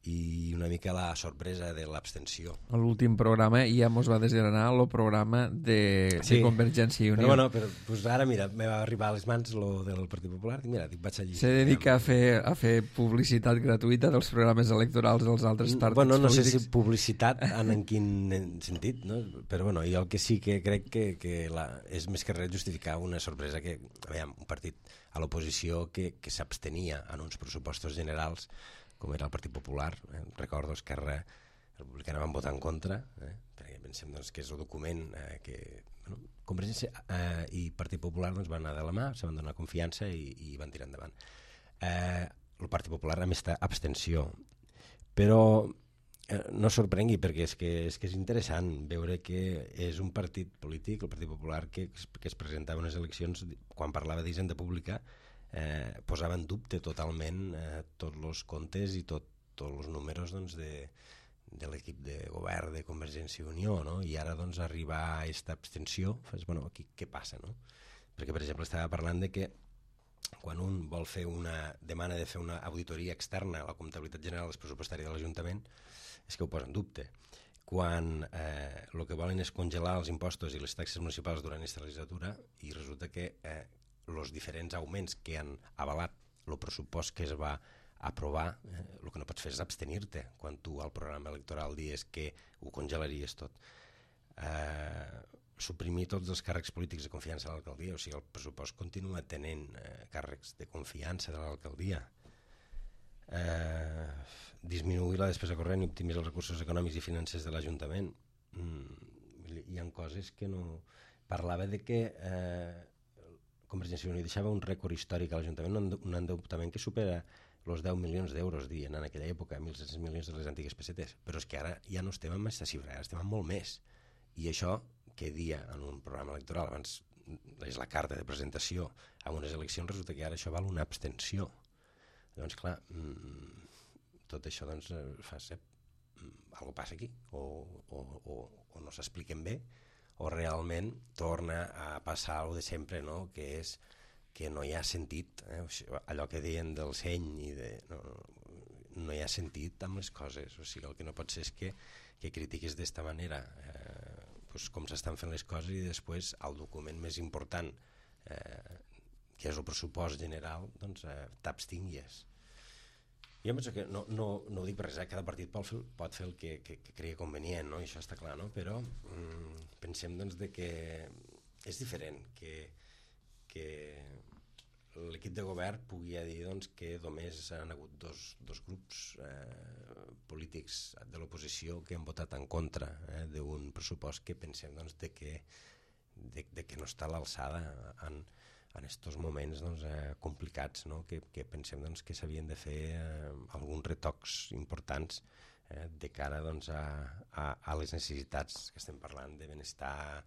S2: i una mica la sorpresa de l'abstenció.
S1: A l'últim programa ja mos va desgranar el programa de, sí, de Convergència i Unió.
S2: Però bueno, però, pues ara mira, me va arribar a les mans lo del Partit Popular i mira, dic, vaig allí.
S1: Se dedica a fer, a fer publicitat gratuïta dels programes electorals dels altres partits
S2: bueno, no
S1: polítics.
S2: sé si publicitat en, en quin sentit, no? Però bueno, jo el que sí que crec que, que la, és més que res justificar una sorpresa que, veiem, un partit a l'oposició que, que s'abstenia en uns pressupostos generals com era el Partit Popular, eh? Recordo Esquerra Republicana van votar en contra, eh? Perquè pensem doncs, que és el document eh, que bueno, Convergència eh, i Partit Popular doncs, van anar de la mà, se van donar confiança i, i van tirar endavant. Eh, el Partit Popular a més està abstenció, però eh, no sorprengui perquè és que, és que és interessant veure que és un partit polític, el Partit Popular, que, que es presentava a unes eleccions quan parlava d'hisenda pública, Eh, posava en dubte totalment eh, tots els comptes i tot, tots els números doncs, de, de l'equip de govern de Convergència i Unió, no? I ara doncs, arribar a aquesta abstenció, fas, bueno, aquí què passa? No? Perquè, per exemple, estava parlant de que quan un vol fer una demana de fer una auditoria externa a la comptabilitat general pressupostària de l'Ajuntament, és que ho posa en dubte. Quan eh, el que volen és congelar els impostos i les taxes municipals durant aquesta legislatura i resulta que eh, els diferents augments que han avalat el pressupost que es va aprovar, eh, el que no pots fer és abstenir-te quan tu al programa electoral dius que ho congelaries tot. Eh, suprimir tots els càrrecs polítics de confiança de l'alcaldia, o sigui, el pressupost continua tenint eh, càrrecs de confiança de l'alcaldia. Eh, disminuir la despesa corrent i optimitzar els recursos econòmics i financers de l'Ajuntament. Mm, hi ha coses que no... Parlava de que eh, Convergència i Unió deixava un rècord històric a l'Ajuntament, un endeutament que supera els deu milions d'euros, dient en aquella època, mil set-cents milions de les antigues pessetes. Però és que ara ja no estem amb aquesta xifra, ara estem amb molt més. I això, que dia en un programa electoral, abans és la carta de presentació a unes eleccions, resulta que ara això val una abstenció. Llavors, clar, tot això doncs, fa ser alguna passa aquí, o, o, o, o no s'expliquen bé, o realment torna a passar alguna de sempre, no? Que és que no hi ha sentit, eh? O sigui, allò que deien del seny, i de, no, no hi ha sentit amb les coses. O sigui, el que no pot ser és que, que critiquis d'esta manera eh, pues, com s'estan fent les coses, i després el document més important, eh, que és el pressupost general, doncs eh, t'abstinguis. Jo penso que no, no, no ho dic per res, eh? Cada partit pot fer, pot fer el que, que, que cregui convenient, no? I això està clar, no? Però mm, pensem doncs, de que és diferent que, que l'equip de govern pugui dir doncs, que només han hagut dos, dos grups eh, polítics de l'oposició que han votat en contra eh, d'un pressupost que pensem doncs, de, que, de, de que no està a l'alçada en en aquests moments doncs, eh, complicats, no? que, que pensem doncs, que s'havien de fer eh, alguns retocs importants eh, de cara doncs, a, a, a les necessitats que estem parlant de benestar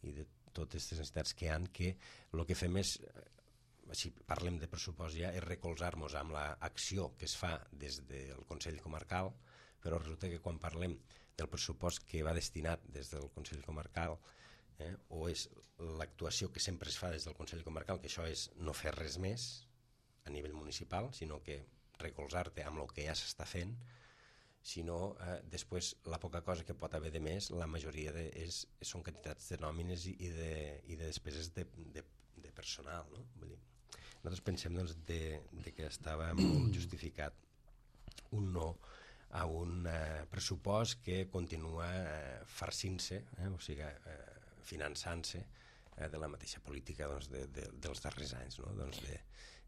S2: i de totes aquestes necessitats que hi ha, que el que fem és, eh, si parlem de pressupost ja, és recolzar-nos amb l'acció que es fa des del Consell Comarcal, però resulta que quan parlem del pressupost que va destinat des del Consell Comarcal, Eh, o és l'actuació que sempre es fa des del Consell Comarcal, que això és no fer res més a nivell municipal, sinó que recolzar-te amb el que ja s'està fent, sinó eh, després la poca cosa que pot haver de més, la majoria de, és, són quantitats de nòmines i, i, de, i de despeses de, de, de personal. No? Vull dir, nosaltres pensem doncs, de, de que estava molt justificat un no a un eh, pressupost que continua eh, farcint-se, eh, o sigui, eh, finançant-se eh, de la mateixa política doncs, de, de, dels darrers anys, no? Doncs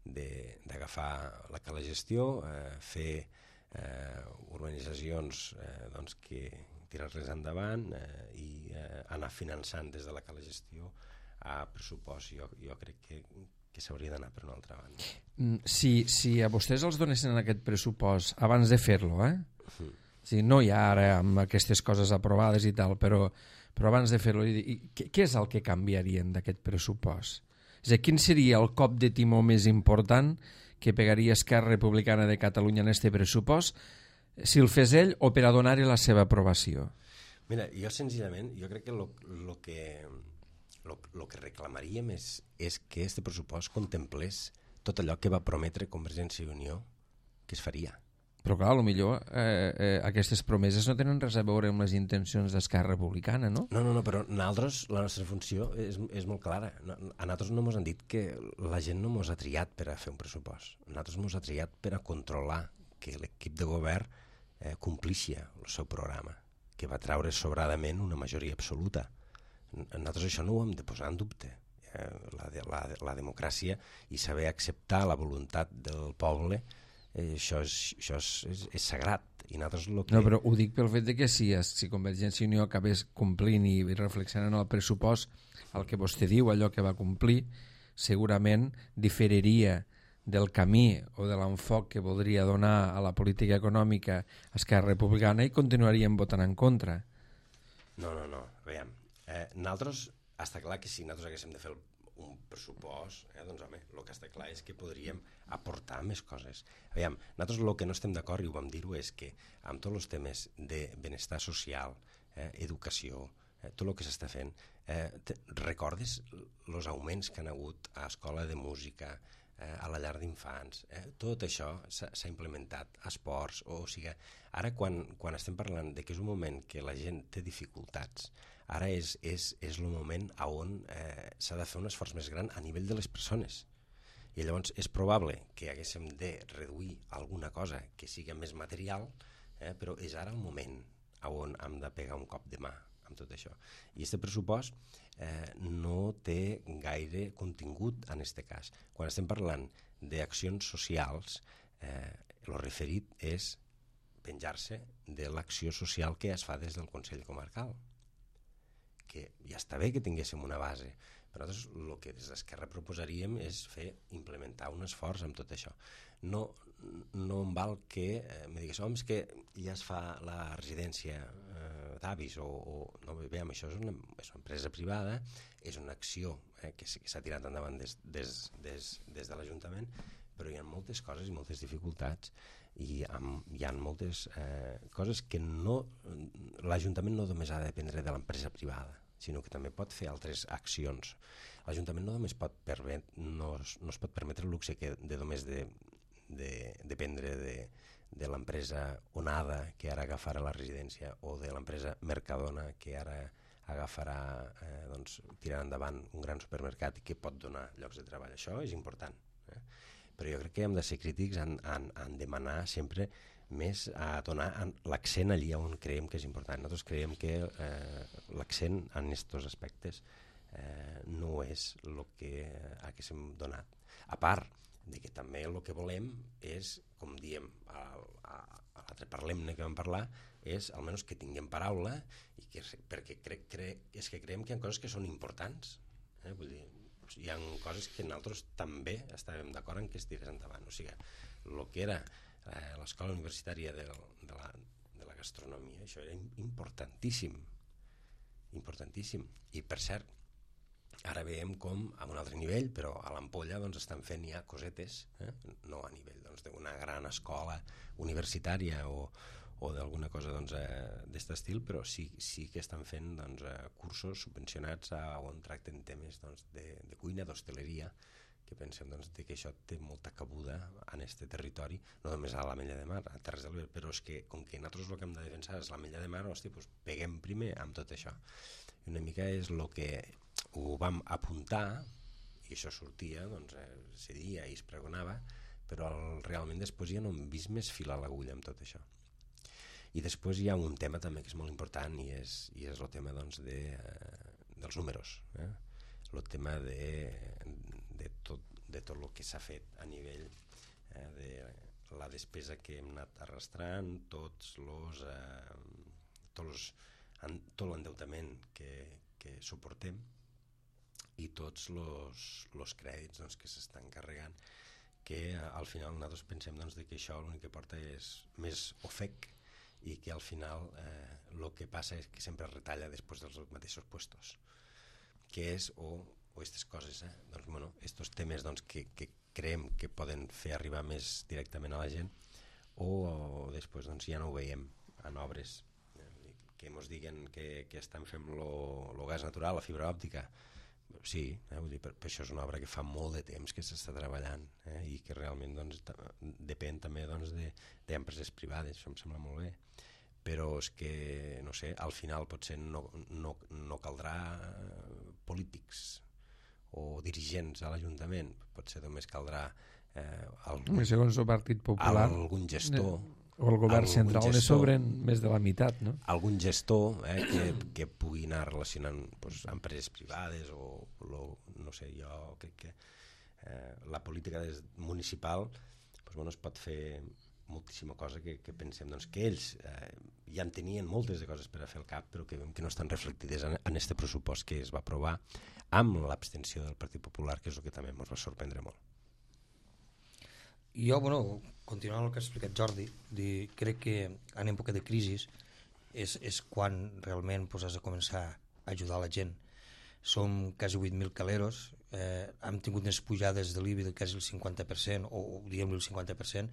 S2: d'agafar la que la gestió, eh, fer eh, urbanitzacions eh, doncs, que tirar-les endavant eh, i eh, anar finançant des de la que la gestió a pressupost. Jo, jo crec que, que s'hauria d'anar per una altra banda.
S1: Si, si a vostès els donessin aquest pressupost abans de fer-lo, eh?
S2: Mm.
S1: Sí, no ja ara amb aquestes coses aprovades i tal, però, però abans de fer-lo, què, què és el que canviarien d'aquest pressupost? És a dir, quin seria el cop de timó més important que pegaria Esquerra Republicana de Catalunya en este pressupost si el fes ell o per a donar-hi la seva aprovació?
S2: Mira, jo senzillament, jo crec que el lo, lo que, lo, lo que reclamaríem és, és que este pressupost contemplés tot allò que va prometre Convergència i Unió que es faria.
S1: Però clar, potser eh, eh, aquestes promeses no tenen res a veure amb les intencions d'Esquerra Republicana, no?
S2: No, no, no, però nosaltres, la nostra funció és, és molt clara. A nosaltres no ens han dit que la gent no ens ha triat per a fer un pressupost. A nosaltres ens ha triat per a controlar que l'equip de govern eh, complixia el seu programa, que va treure sobradament una majoria absoluta. Nosaltres això no ho hem de posar en dubte. Eh, la, de, la, la democràcia i saber acceptar la voluntat del poble, Eh, això, és, això és, és, és sagrat. I nosaltres lo que...
S1: No, però ho dic pel fet de que si, si Convergència i Unió acabés complint i reflexionant el pressupost el que vostè diu, allò que va complir, segurament diferiria del camí o de l'enfoc que voldria donar a la política econòmica Esquerra Republicana i continuaríem votant en contra.
S2: No, no, no. Veiem, eh, nosaltres, està clar que si nosaltres haguéssim de fer el un pressupost, eh, doncs home, el que està clar és que podríem aportar més coses. Aviam, nosaltres el que no estem d'acord, i ho vam dir-ho, és que amb tots els temes de benestar social, eh, educació, eh, tot el que s'està fent, eh, te, recordes els augments que han hagut a escola de música, eh, a la llar d'infants, eh, tot això s'ha implementat, a esports, o, o sigui, ara quan, quan estem parlant de que és un moment que la gent té dificultats, ara és, és, és el moment on eh, s'ha de fer un esforç més gran a nivell de les persones. I llavors és probable que haguéssim de reduir alguna cosa que sigui més material, eh, però és ara el moment on hem de pegar un cop de mà amb tot això. I aquest pressupost eh, no té gaire contingut en aquest cas. Quan estem parlant d'accions socials, eh, el referit és penjar-se de l'acció social que es fa des del Consell Comarcal, que ja està bé que tinguéssim una base, però nosaltres el que des d'Esquerra proposaríem és fer, implementar un esforç amb tot això. No, no em val que eh, me digués, home, és que ja es fa la residència eh, d'avis, o, o no, veiem, això és una, és una empresa privada, és una acció eh, que s'ha tirat endavant des, des, des, des de l'Ajuntament, però hi ha moltes coses i moltes dificultats i amb, hi ha moltes eh, coses que no, l'Ajuntament no només ha de dependre de l'empresa privada, sinó que també pot fer altres accions. L'Ajuntament no només pot permet, no, no es pot permetre el luxe que de només de, de dependre de, de l'empresa Onada, que ara agafarà la residència, o de l'empresa Mercadona, que ara agafarà, eh, doncs, tirar endavant un gran supermercat i que pot donar llocs de treball. Això és important. Eh? Però jo crec que hem de ser crítics en, en, en demanar sempre més a donar l'accent allí on creiem que és important. Nosaltres creiem que eh, l'accent en aquests aspectes eh, no és el que haguéssim donat. A part de que també el que volem és, com diem a, a, a l'altre parlem-ne que vam parlar, és almenys que tinguem paraula i que, perquè cre, cre, és que creiem que hi ha coses que són importants. Eh? Vull dir, hi ha coses que nosaltres també estàvem d'acord en que es tirés endavant. O sigui, el que era eh, l'escola universitària de, de, la, de la gastronomia, això era importantíssim. Importantíssim. I per cert, ara veiem com a un altre nivell, però a l'Ampolla doncs, estan fent ja cosetes, eh? No a nivell doncs, d'una gran escola universitària o, o d'alguna cosa doncs, eh, d'aquest estil, però sí, sí que estan fent doncs, eh, cursos subvencionats a, on tracten temes doncs, de, de cuina, d'hostaleria, que pensem doncs, que això té molta cabuda en aquest territori, no només a l'Ametlla de Mar, a Terres de l'Ebre, però és que com que nosaltres el que hem de defensar és l'Ametlla de Mar, hosti, doncs peguem primer amb tot això. I una mica és el que ho vam apuntar, i això sortia, doncs, eh, se dia i es pregonava, però el, realment després ja no hem vist més fil a l'agulla amb tot això. I després hi ha un tema també que és molt important i és, i és el tema doncs, de, eh, dels números, eh? El tema de, de, tot, de tot el que s'ha fet a nivell eh, de la despesa que hem anat arrastrant, tots los, eh, tots en, tot l'endeutament que, que suportem i tots els crèdits doncs, que s'estan carregant, que eh, al final nosaltres pensem doncs, de que això l'únic que porta és més ofec i que al final eh, el que passa és que sempre es retalla després dels mateixos puestos, que és o, o aquestes coses, eh? doncs, bueno, estos temes doncs, que, que creiem que poden fer arribar més directament a la gent o, o després doncs, ja no ho veiem en obres eh? que ens diguen que, que estan fent el gas natural, la fibra òptica. Sí, eh, vull dir, per, per això és una obra que fa molt de temps que s'està treballant eh, i que realment doncs, depèn també doncs, d'empreses privades, això em sembla molt bé, però és que, no sé, al final potser no, no, no caldrà polítics o dirigents a l'Ajuntament, potser només caldrà eh, algun,
S1: segons el Partit Popular,
S2: algun gestor
S1: o el govern central ne sobren més de la meitat, no?
S2: Algun gestor eh, que, que pugui anar relacionant pues, empreses privades o, lo, no sé, jo crec que eh, la política des, municipal pues, bueno, es pot fer moltíssima cosa que, que pensem doncs, que ells eh, ja en tenien moltes de coses per a fer al cap, però que, que no estan reflectides en aquest pressupost que es va aprovar amb l'abstenció del Partit Popular, que és el que també ens va sorprendre molt.
S3: Jo, bueno, continuant el que ha explicat Jordi, dir, crec que en època de crisi és, és quan realment pues, has de començar a ajudar la gent. Som quasi vuit mil caleros, eh, hem tingut unes pujades de l'I B I de quasi el cinquanta per cent, o diguem-li el cinquanta per cent,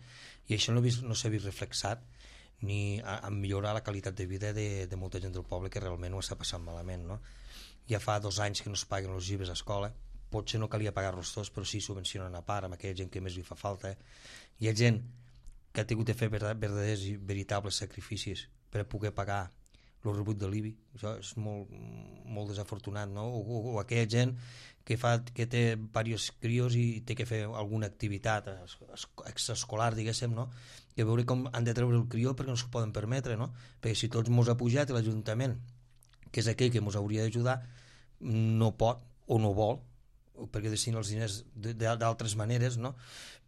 S3: i això no, vist, no s'ha vist reflexat ni a, a millorar la qualitat de vida de, de molta gent del poble que realment ho està passant malament. No? Ja fa dos anys que no es paguen els llibres a escola, potser no calia pagar-los tots, però sí subvencionen a part amb aquella gent que més li fa falta. Hi ha gent que ha tingut de fer verdaders i veritables sacrificis per poder pagar el rebut de l'I B I. Això és molt, molt desafortunat, no? O, o, o aquella gent que, fa, que té diversos crios i té que fer alguna activitat extraescolar, diguéssim, no? I a veure com han de treure el crió perquè no s'ho poden permetre, no? Perquè si tots mos ha pujat i l'Ajuntament, que és aquell que mos hauria d'ajudar, no pot o no vol, perquè destina els diners d'altres maneres, no?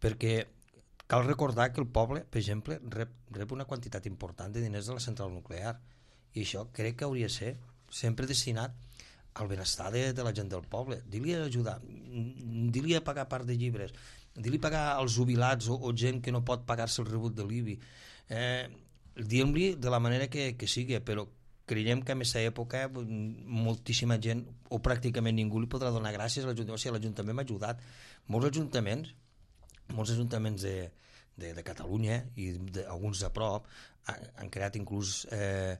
S3: Perquè cal recordar que el poble, per exemple, rep, rep una quantitat important de diners de la central nuclear, i això crec que hauria de ser sempre destinat al benestar de, de la gent del poble. Dir-li a ajudar, dir-li a pagar part de llibres, dir-li a pagar als jubilats o, o gent que no pot pagar-se el rebut de l'I B I, eh, dir-li de la manera que, que sigui, però creiem que en aquesta època moltíssima gent o pràcticament ningú li podrà donar gràcies a l'Ajuntament. O sigui, l'Ajuntament m'ha ajudat. Molts ajuntaments molts ajuntaments de, de, de Catalunya i de, alguns de prop han, han creat inclús eh,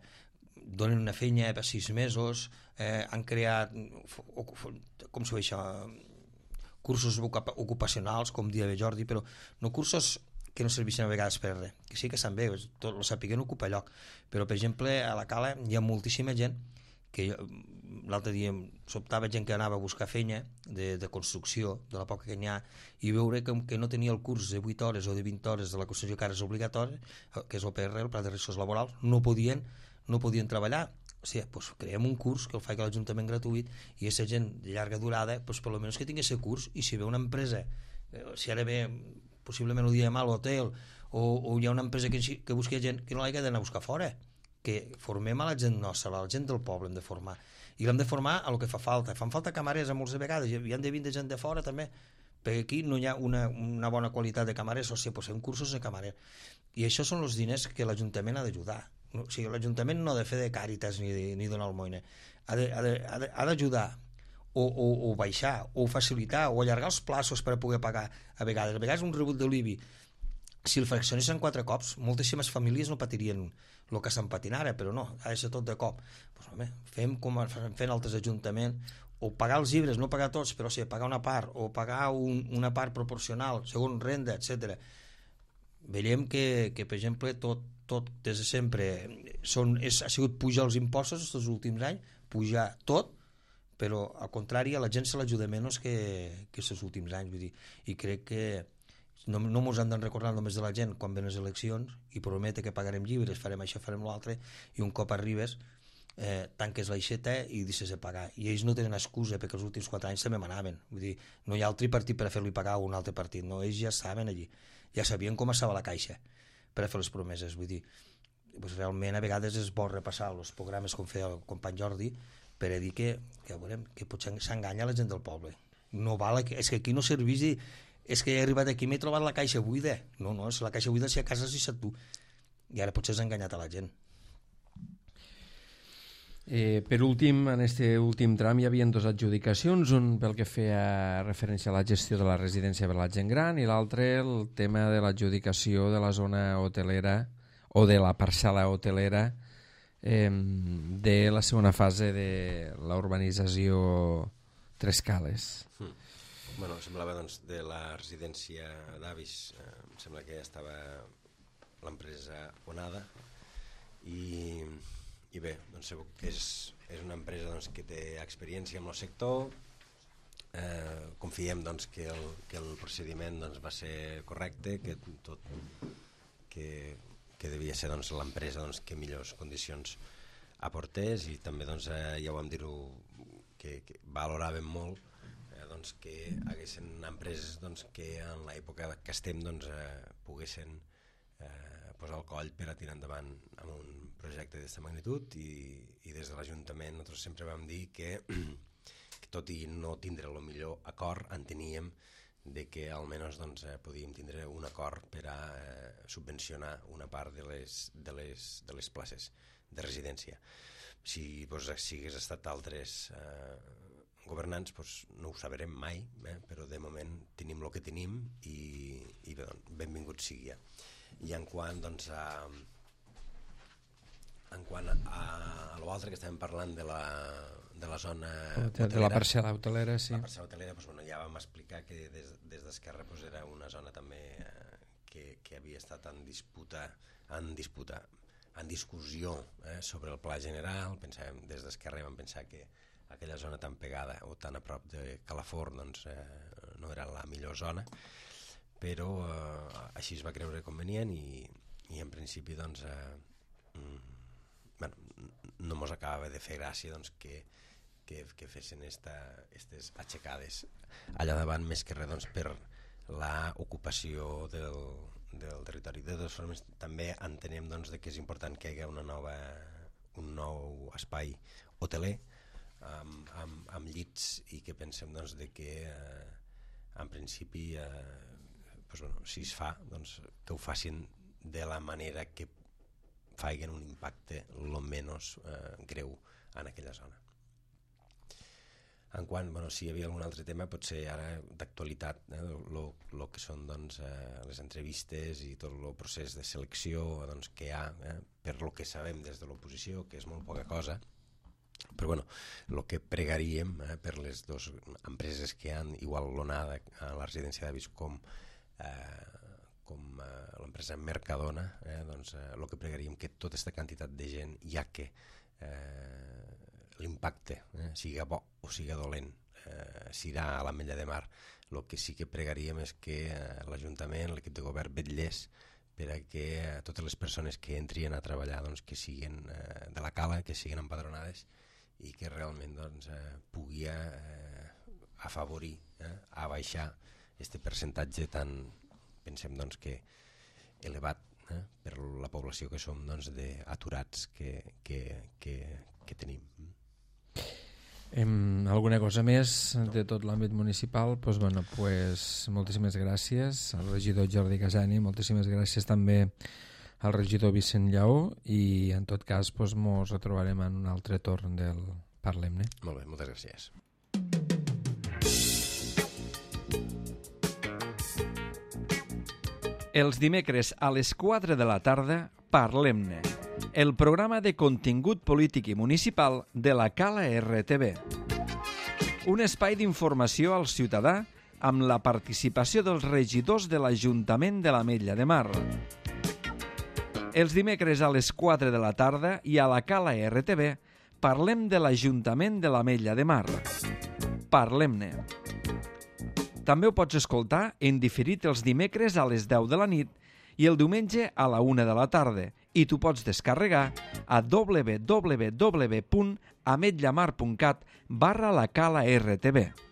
S3: donen una feina per sis mesos, eh, han creat com s'ho això cursos ocupacionals, com dia de Jordi, però no cursos que no serveixen a vegades per res, que sí que estan bé, tot el sapiguent ocupa lloc, però per exemple a la Cala hi ha moltíssima gent que l'altre dia sobtava gent que anava a buscar feina de, de construcció, de la poca que n'hi ha, i veure que, que no tenia el curs de vuit hores o de vint hores de la construcció que ara és obligatori, que és O P R, el Pla de Riscos Laborals, no podien, no podien treballar. O sigui, doncs creem un curs que el faci l'Ajuntament gratuït i aquesta gent de llarga durada, doncs per almenys que tingui aquest curs, i si ve una empresa, si ara ve possiblement ho diem a l'hotel, o, o hi ha una empresa que, que busqui gent, que no l'hagi d'anar a buscar fora, que formem a la gent nostra, a la gent del poble hem de formar, i l'hem de formar a lo que fa falta. Fan falta camarers a molts de vegades, i han de vindre gent de fora també, perquè aquí no hi ha una, una bona qualitat de camarers, o sigui, pues fem cursos de camarer, i això són els diners que l'Ajuntament ha d'ajudar. O sigui, l'Ajuntament no ha de fer de càritas ni, de, ni donar almoina, ha d'ajudar o, o, o baixar, o facilitar, o allargar els plaços per a poder pagar a vegades. A vegades un rebut de l'I B I, si el fraccionessin quatre cops, moltíssimes famílies no patirien el que estan patint ara, però no, ha de ser tot de cop. Pues, home, fem com fent altres ajuntaments, o pagar els llibres, no pagar tots, però sí, pagar una part, o pagar un, una part proporcional, segons renda, etcètera. Veiem que, que, per exemple, tot, tot des de sempre són, és, ha sigut pujar els impostos aquests últims anys, pujar tot, però al contrari a la gent se l'ajuda menys que, que aquests últims anys, vull dir, i crec que no, no ens han de recordar només de la gent quan ven les eleccions i promete que pagarem llibres, farem això, farem l'altre, i un cop arribes eh, tanques l'aixeta i deixes de pagar, i ells no tenen excusa perquè els últims quatre anys també manaven, vull dir, no hi ha altre partit per a fer-li pagar a un altre partit, no, ells ja saben allí, ja sabien com estava la caixa per a fer les promeses, vull dir, doncs realment a vegades és bo repassar els programes com feia el company Jordi per a dir que, que, veurem, que potser s'enganya la gent del poble, no val, és que aquí no serveix dir, és que he arribat aquí i m'he trobat la caixa buida, no, no, és la caixa buida si a casa si tu, i ara potser has enganyat a la gent.
S1: Eh, per últim, en este últim tram hi havia dues adjudicacions, un pel que feia referència a la gestió de la residència per a la gent gran i l'altre el tema de l'adjudicació de la zona hotelera o de la parcel·la hotelera eh, de la segona fase de la urbanització Tres Cales.
S2: Mm. Bueno, semblava doncs de la residència d'avis, eh, em sembla que ja estava l'empresa Onada i, i bé, doncs segur que és, és una empresa doncs, que té experiència en el sector, eh, confiem doncs, que, el, que el procediment doncs, va ser correcte, que tot que, que devia ser doncs, l'empresa doncs, que millors condicions aportés, i també doncs, eh, ja ho vam dir-ho que, que valoràvem molt doncs, que haguessin empreses doncs, que en l'època que estem doncs, eh, poguessin eh, posar el coll per a tirar endavant amb un projecte d'aquesta magnitud, i, i des de l'Ajuntament nosaltres sempre vam dir que, que tot i no tindre el millor acord, enteníem de que almenys doncs, eh, podíem tindre un acord per a eh, subvencionar una part de les, de, les, de les places de residència. Si doncs, si hagués estat altres eh, governants, doncs, no ho sabrem mai, eh? Però de moment tenim el que tenim i, i bé, doncs, benvingut sigui. I en quant doncs, a en quant a, a l'altre que estàvem parlant de la, de la zona hotelera,
S1: de la parcel·la hotelera, sí.
S2: La parcel·la hotelera, doncs, bueno, ja vam explicar que des, des d'Esquerra doncs, era una zona també eh, que, que havia estat en disputa, en disputa, en discussió eh, sobre el pla general. Pensàvem, des d'Esquerra vam pensar que aquella zona tan pegada o tan a prop de Calafort doncs, eh, no era la millor zona, però eh, així es va creure convenient i, i en principi doncs, eh, mm, bueno, no mos acabava de fer gràcia doncs, que, que, que fessin aquestes aixecades allà davant, més que res doncs, per l'ocupació del, del territori. De totes formes, també entenem doncs, que és important que hi hagi una nova, un nou espai hoteler Amb, amb, amb llits, i que pensem doncs, de que eh, en principi eh, doncs, bueno, si es fa doncs, que ho facin de la manera que facin un impacte el menys eh, greu en aquella zona. En quant, bueno, si hi havia algun altre tema, potser ara d'actualitat, eh, el que són doncs, eh, les entrevistes i tot el procés de selecció doncs, que hi ha, eh, per lo que sabem des de l'oposició, que és molt poca cosa, però bueno, el que pregaríem eh, per les dues empreses que hi ha, igual l'Onada a la residència d'avis com, eh, com eh, l'empresa Mercadona, eh, doncs eh, el que pregaríem que tota aquesta quantitat de gent, ja que eh, l'impacte, eh, siga bo o siga dolent, eh, s'irà a l'Ametlla de Mar. El que sí que pregaríem és que eh, l'Ajuntament, l'equip de govern vetllés per a que eh, totes les persones que entrien a treballar doncs, que siguin eh, de la cala, que siguin empadronades i que realment doncs, eh, pugui eh, afavorir, eh, a baixar aquest percentatge tan, pensem doncs, que elevat eh, per la població que som doncs, d'aturats que, que, que, que tenim.
S1: Em, alguna cosa més de tot l'àmbit municipal? Pues, bueno, pues, moltíssimes gràcies al regidor Jordi Casani, moltíssimes gràcies també al regidor Vicent Lleó i en tot cas pues, mos retrobarem en un altre torn del Parlem-ne.
S2: Molt bé, moltes gràcies.
S1: Els dimecres a les quatre de la tarda, Parlem-ne, el programa de contingut polític i municipal de la Cala R T V. Un espai d'informació al ciutadà amb la participació dels regidors de l'Ajuntament de l'Ametlla de Mar. Els dimecres a les quatre de la tarda i a la Cala R T V parlem de l'Ajuntament de l'Ametlla de Mar. Parlem-ne. També ho pots escoltar en diferit els dimecres a les deu de la nit i el diumenge a la una de la tarda i tu pots descarregar a w w w punt ametllamar punt cat barra la cala R T V.